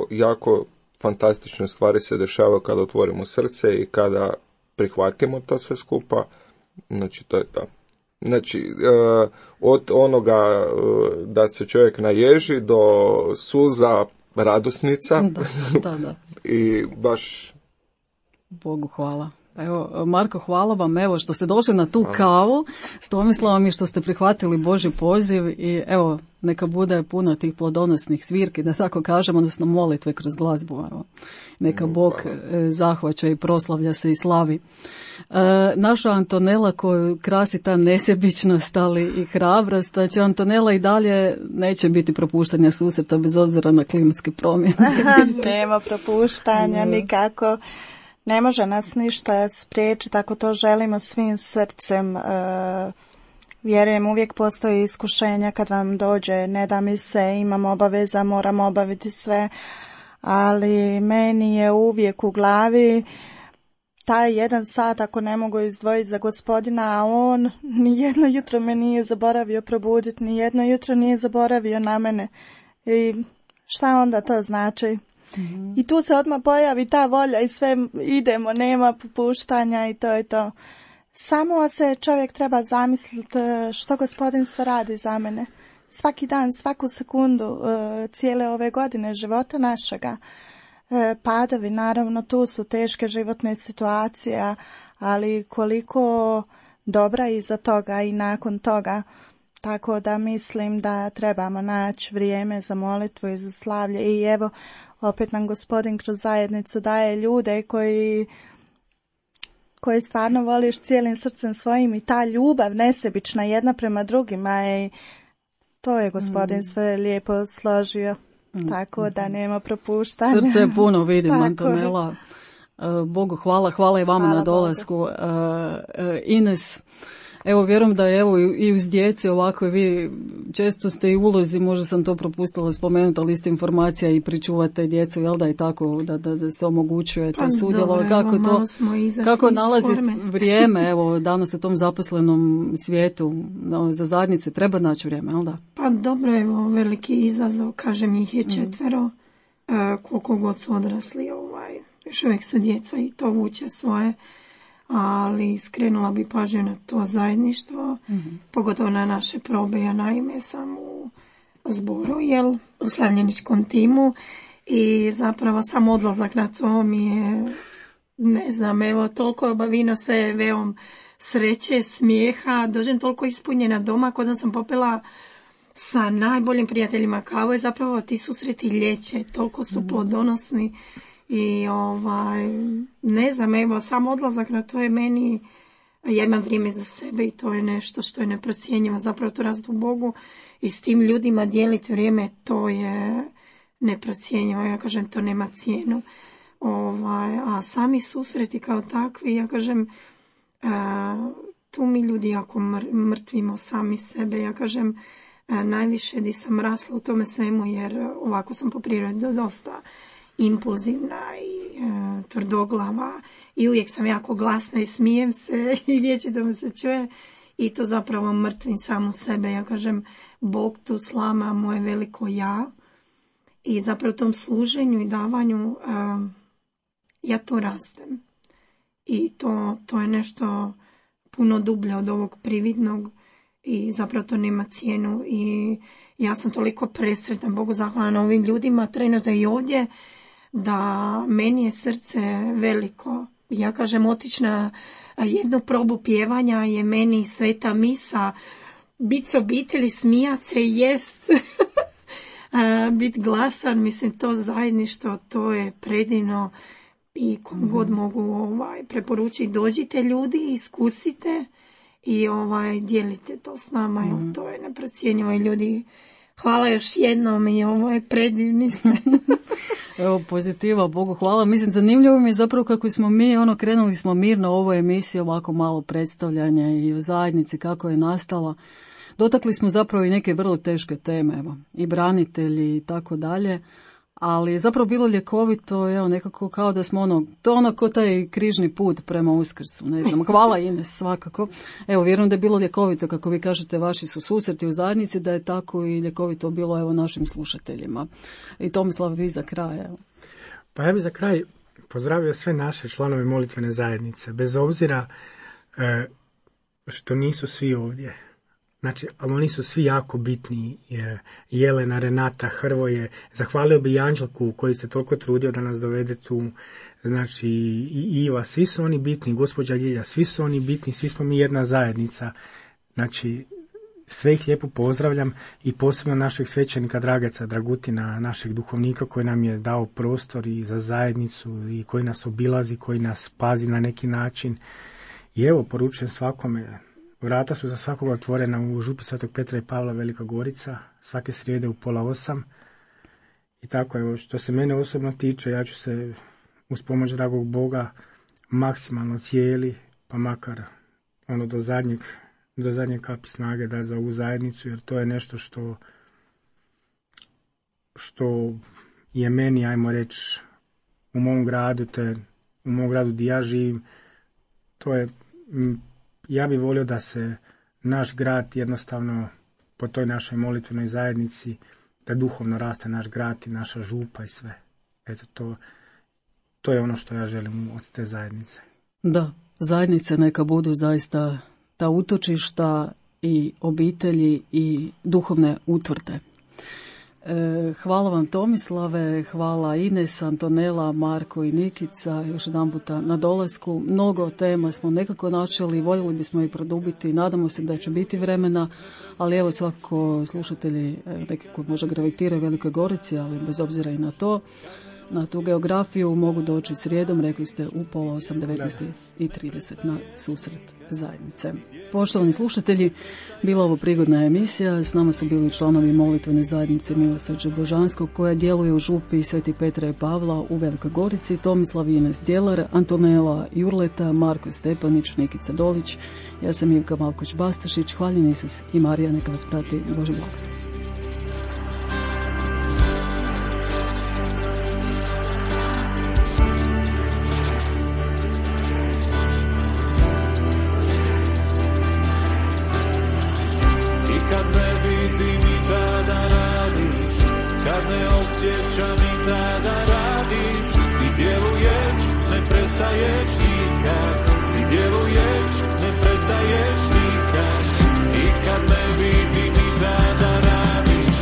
Speaker 4: Jako fantastične stvari se dešavaju kada otvorimo srce i kada prihvatimo to sve skupa. Znači, to je to. Znači, od onoga da se čovjek naježi do suza radosnica.
Speaker 1: Da.
Speaker 4: I baš...
Speaker 1: Bogu hvala. Evo, Marko, hvala vam evo što ste došli na tu kavu s Tomislavom i što ste prihvatili Božji poziv i evo, neka bude puno tih plodonosnih svirki, da tako kažem, odnosno molitve kroz glazbu. Evo. Neka Bog zahvaća i proslavlja se i slavi. Naša Antonela koju krasi ta nesebičnost, ali i hrabrost, znači Antonela i dalje neće biti propuštanja susreta bez obzira na klimatske promjene.
Speaker 5: Nema propuštanja nikako. Ne može nas ništa spriječiti ako to želimo svim srcem. Vjerujem, uvijek postoji iskušenja kad vam dođe, ne da mi se, imam obaveza, moram obaviti sve, ali meni je uvijek u glavi taj 1 sat ako ne mogu izdvojiti za Gospodina, a on nijedno jutro me nije zaboravio probuditi, nijedno jutro nije zaboravio na mene. I šta onda to znači? I tu se odmah pojavi ta volja i sve idemo, nema popuštanja i to je to. Samo se čovjek treba zamisliti što Gospodin sve radi za mene. Svaki dan, svaku sekundu, cijele ove godine života našega. Padovi, naravno, tu su teške životne situacije, ali koliko dobra iza toga i nakon toga. Tako da mislim da trebamo naći vrijeme za molitvu i za slavlje. I evo, opet nam Gospodin kroz zajednicu daje ljude koji stvarno voliš cijelim srcem svojim i ta ljubav nesebična jedna prema drugima i to je Gospodin sve lijepo složio. Tako da nema propuštanja.
Speaker 1: Srce puno vidim, Antonela. Bogu hvala i vama na dolasku. Ines, evo vjerujem da je evo i uz djeci ovako vi često ste i ulozi, možda sam to propustila spomenuti, ali isto informacija i pričuvate djecu, jel da je tako da se omogućuje to sudjelovanje, kako nalazi vrijeme, evo danas u tom zaposlenom svijetu za zajednice treba naći vrijeme, jel da?
Speaker 3: Pa dobro, evo veliki izazov, kažem ih je 4, koliko god su odrasli, još uvijek su djeca i to vuče svoje. Ali skrenula bi pažnju na to zajedništvo, pogotovo na naše probe. Ja naime sam u zboru, u slavljeničkom timu i zapravo sam odlazak na to mi je, ne znam, evo toliko obavino se veom sreće, smijeha, dođem toliko ispunjena doma kod da sam popila sa najboljim prijateljima kavu i zapravo ti susreti liječe, toliko su plodonosni. I ne znam, evo, sam odlazak na to je meni, ja imam vrijeme za sebe i to je nešto što je neprocjenjivo, zapravo to rast u Bogu i s tim ljudima dijeliti vrijeme, to je neprocjenjivo, ja kažem, to nema cijenu. A sami susreti kao takvi, ja kažem, tu mi ljudi jako mrtvimo sami sebe, ja kažem, najviše di sam rasla u tome svemu jer ovako sam po prirodi dosta impulzivna i tvrdoglava i uvijek sam jako glasna i smijem se i vječito me se čuje i to zapravo mrtvim samu sebe. Ja kažem, Bog tu slama moje veliko ja i zapravo u tom služenju i davanju ja to rastem i to je nešto puno dublje od ovog prividnog i zapravo to nema cijenu i ja sam toliko presretna, Bogu zahvalna na ovim ljudima, trenutno i ovdje, da meni je srce veliko. Ja kažem, otići na jednu probu pjevanja je meni sveta misa, bit s obitelji, smijat se, jest, bit glasan, mislim, to zajedništvo, to je predivno i kom god mogu preporučiti, dođite ljudi, iskusite i dijelite to s nama, to je neprocjenjivo i ljudi, hvala još jednom i ovo je predivni ste.
Speaker 1: Evo, pozitiva, Bogu hvala. Mislim, zanimljivo mi je zapravo kako smo mi, krenuli smo mirno u ovoj emisiji, ovako malo predstavljanja i u zajednici kako je nastala. Dotakli smo zapravo i neke vrlo teške teme, evo, i branitelji i tako dalje. Ali je zapravo bilo ljekovito, evo, nekako kao da smo to ko taj križni put prema Uskrsu, ne znam, hvala Ines svakako. Evo, vjerujem da je bilo ljekovito, kako vi kažete, vaši su susreti u zajednici, da je tako i ljekovito bilo, evo, našim slušateljima. I Tomislav, vi za kraj, evo.
Speaker 2: Pa ja bih za kraj pozdravio sve naše članove molitvene zajednice, bez obzira što nisu svi ovdje. Znači, ali oni su svi jako bitni. Jelena, Renata, Hrvoje. Zahvalio bi i Anđelku koji se toliko trudio da nas dovede tu. Znači, i Iva, svi su oni bitni. Gospođa Ljilja, svi su oni bitni. Svi smo mi jedna zajednica. Znači, sve ih lijepo pozdravljam i posebno našeg svećenika Drageca Dragutina, našeg duhovnika koji nam je dao prostor i za zajednicu i koji nas obilazi, koji nas pazi na neki način. I evo, poručujem svakome, vrata su za svakoga otvorena u župi Svetog Petra i Pavla Velika Gorica, svake srijede u 7:30. I tako, evo, što se mene osobno tiče, ja ću se uz pomoć dragog Boga maksimalno cijeli, pa makar ono do zadnje kapi snage da za ovu zajednicu, jer to je nešto što je meni, ajmo reći, u mom gradu, u mom gradu gdje ja živim, to je, ja bih volio da se naš grad jednostavno po toj našoj molitvenoj zajednici, da duhovno raste naš grad i naša župa i sve. Eto, to je ono što ja želim od te zajednice.
Speaker 1: Da, zajednice neka budu zaista ta utočišta i obitelji i duhovne utvrde. Hvala vam Tomislave, hvala Ines, Antonela, Marko i Nikica još jedan puta na dolasku. Mnogo tema smo nekako načeli, voljeli bismo ih produbiti, nadamo se da će biti vremena, ali evo svakako slušatelji nekako možda gravitiraju Velikoj Gorici, ali bez obzira i na to. Na tu geografiju mogu doći srijedom, rekli ste, u 7:30, 19:30 na susret zajednice. Poštovani slušatelji, bila ovo prigodna emisija. S nama su bili članovi molitvene zajednice Milosrđe Božanskog koja djeluje u župi Sveti Petra i Pavla u Velikoj Gorici, Tomislav i Ines Djelar, Antonela Jurleta, Marko Stepanić, Nikica Dolić. Ja sam Ivka Malkoć-Bastašić. Hvaljen Isus i Marija, neka vas prati. Bože blagoslov.
Speaker 6: Osjećam i tada radiš i djeluješ, ne prestaješ nikad. I djeluješ, ne prestaješ nikad. I kad ne vidim i tada radiš,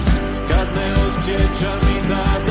Speaker 6: kad ne osjećam i tada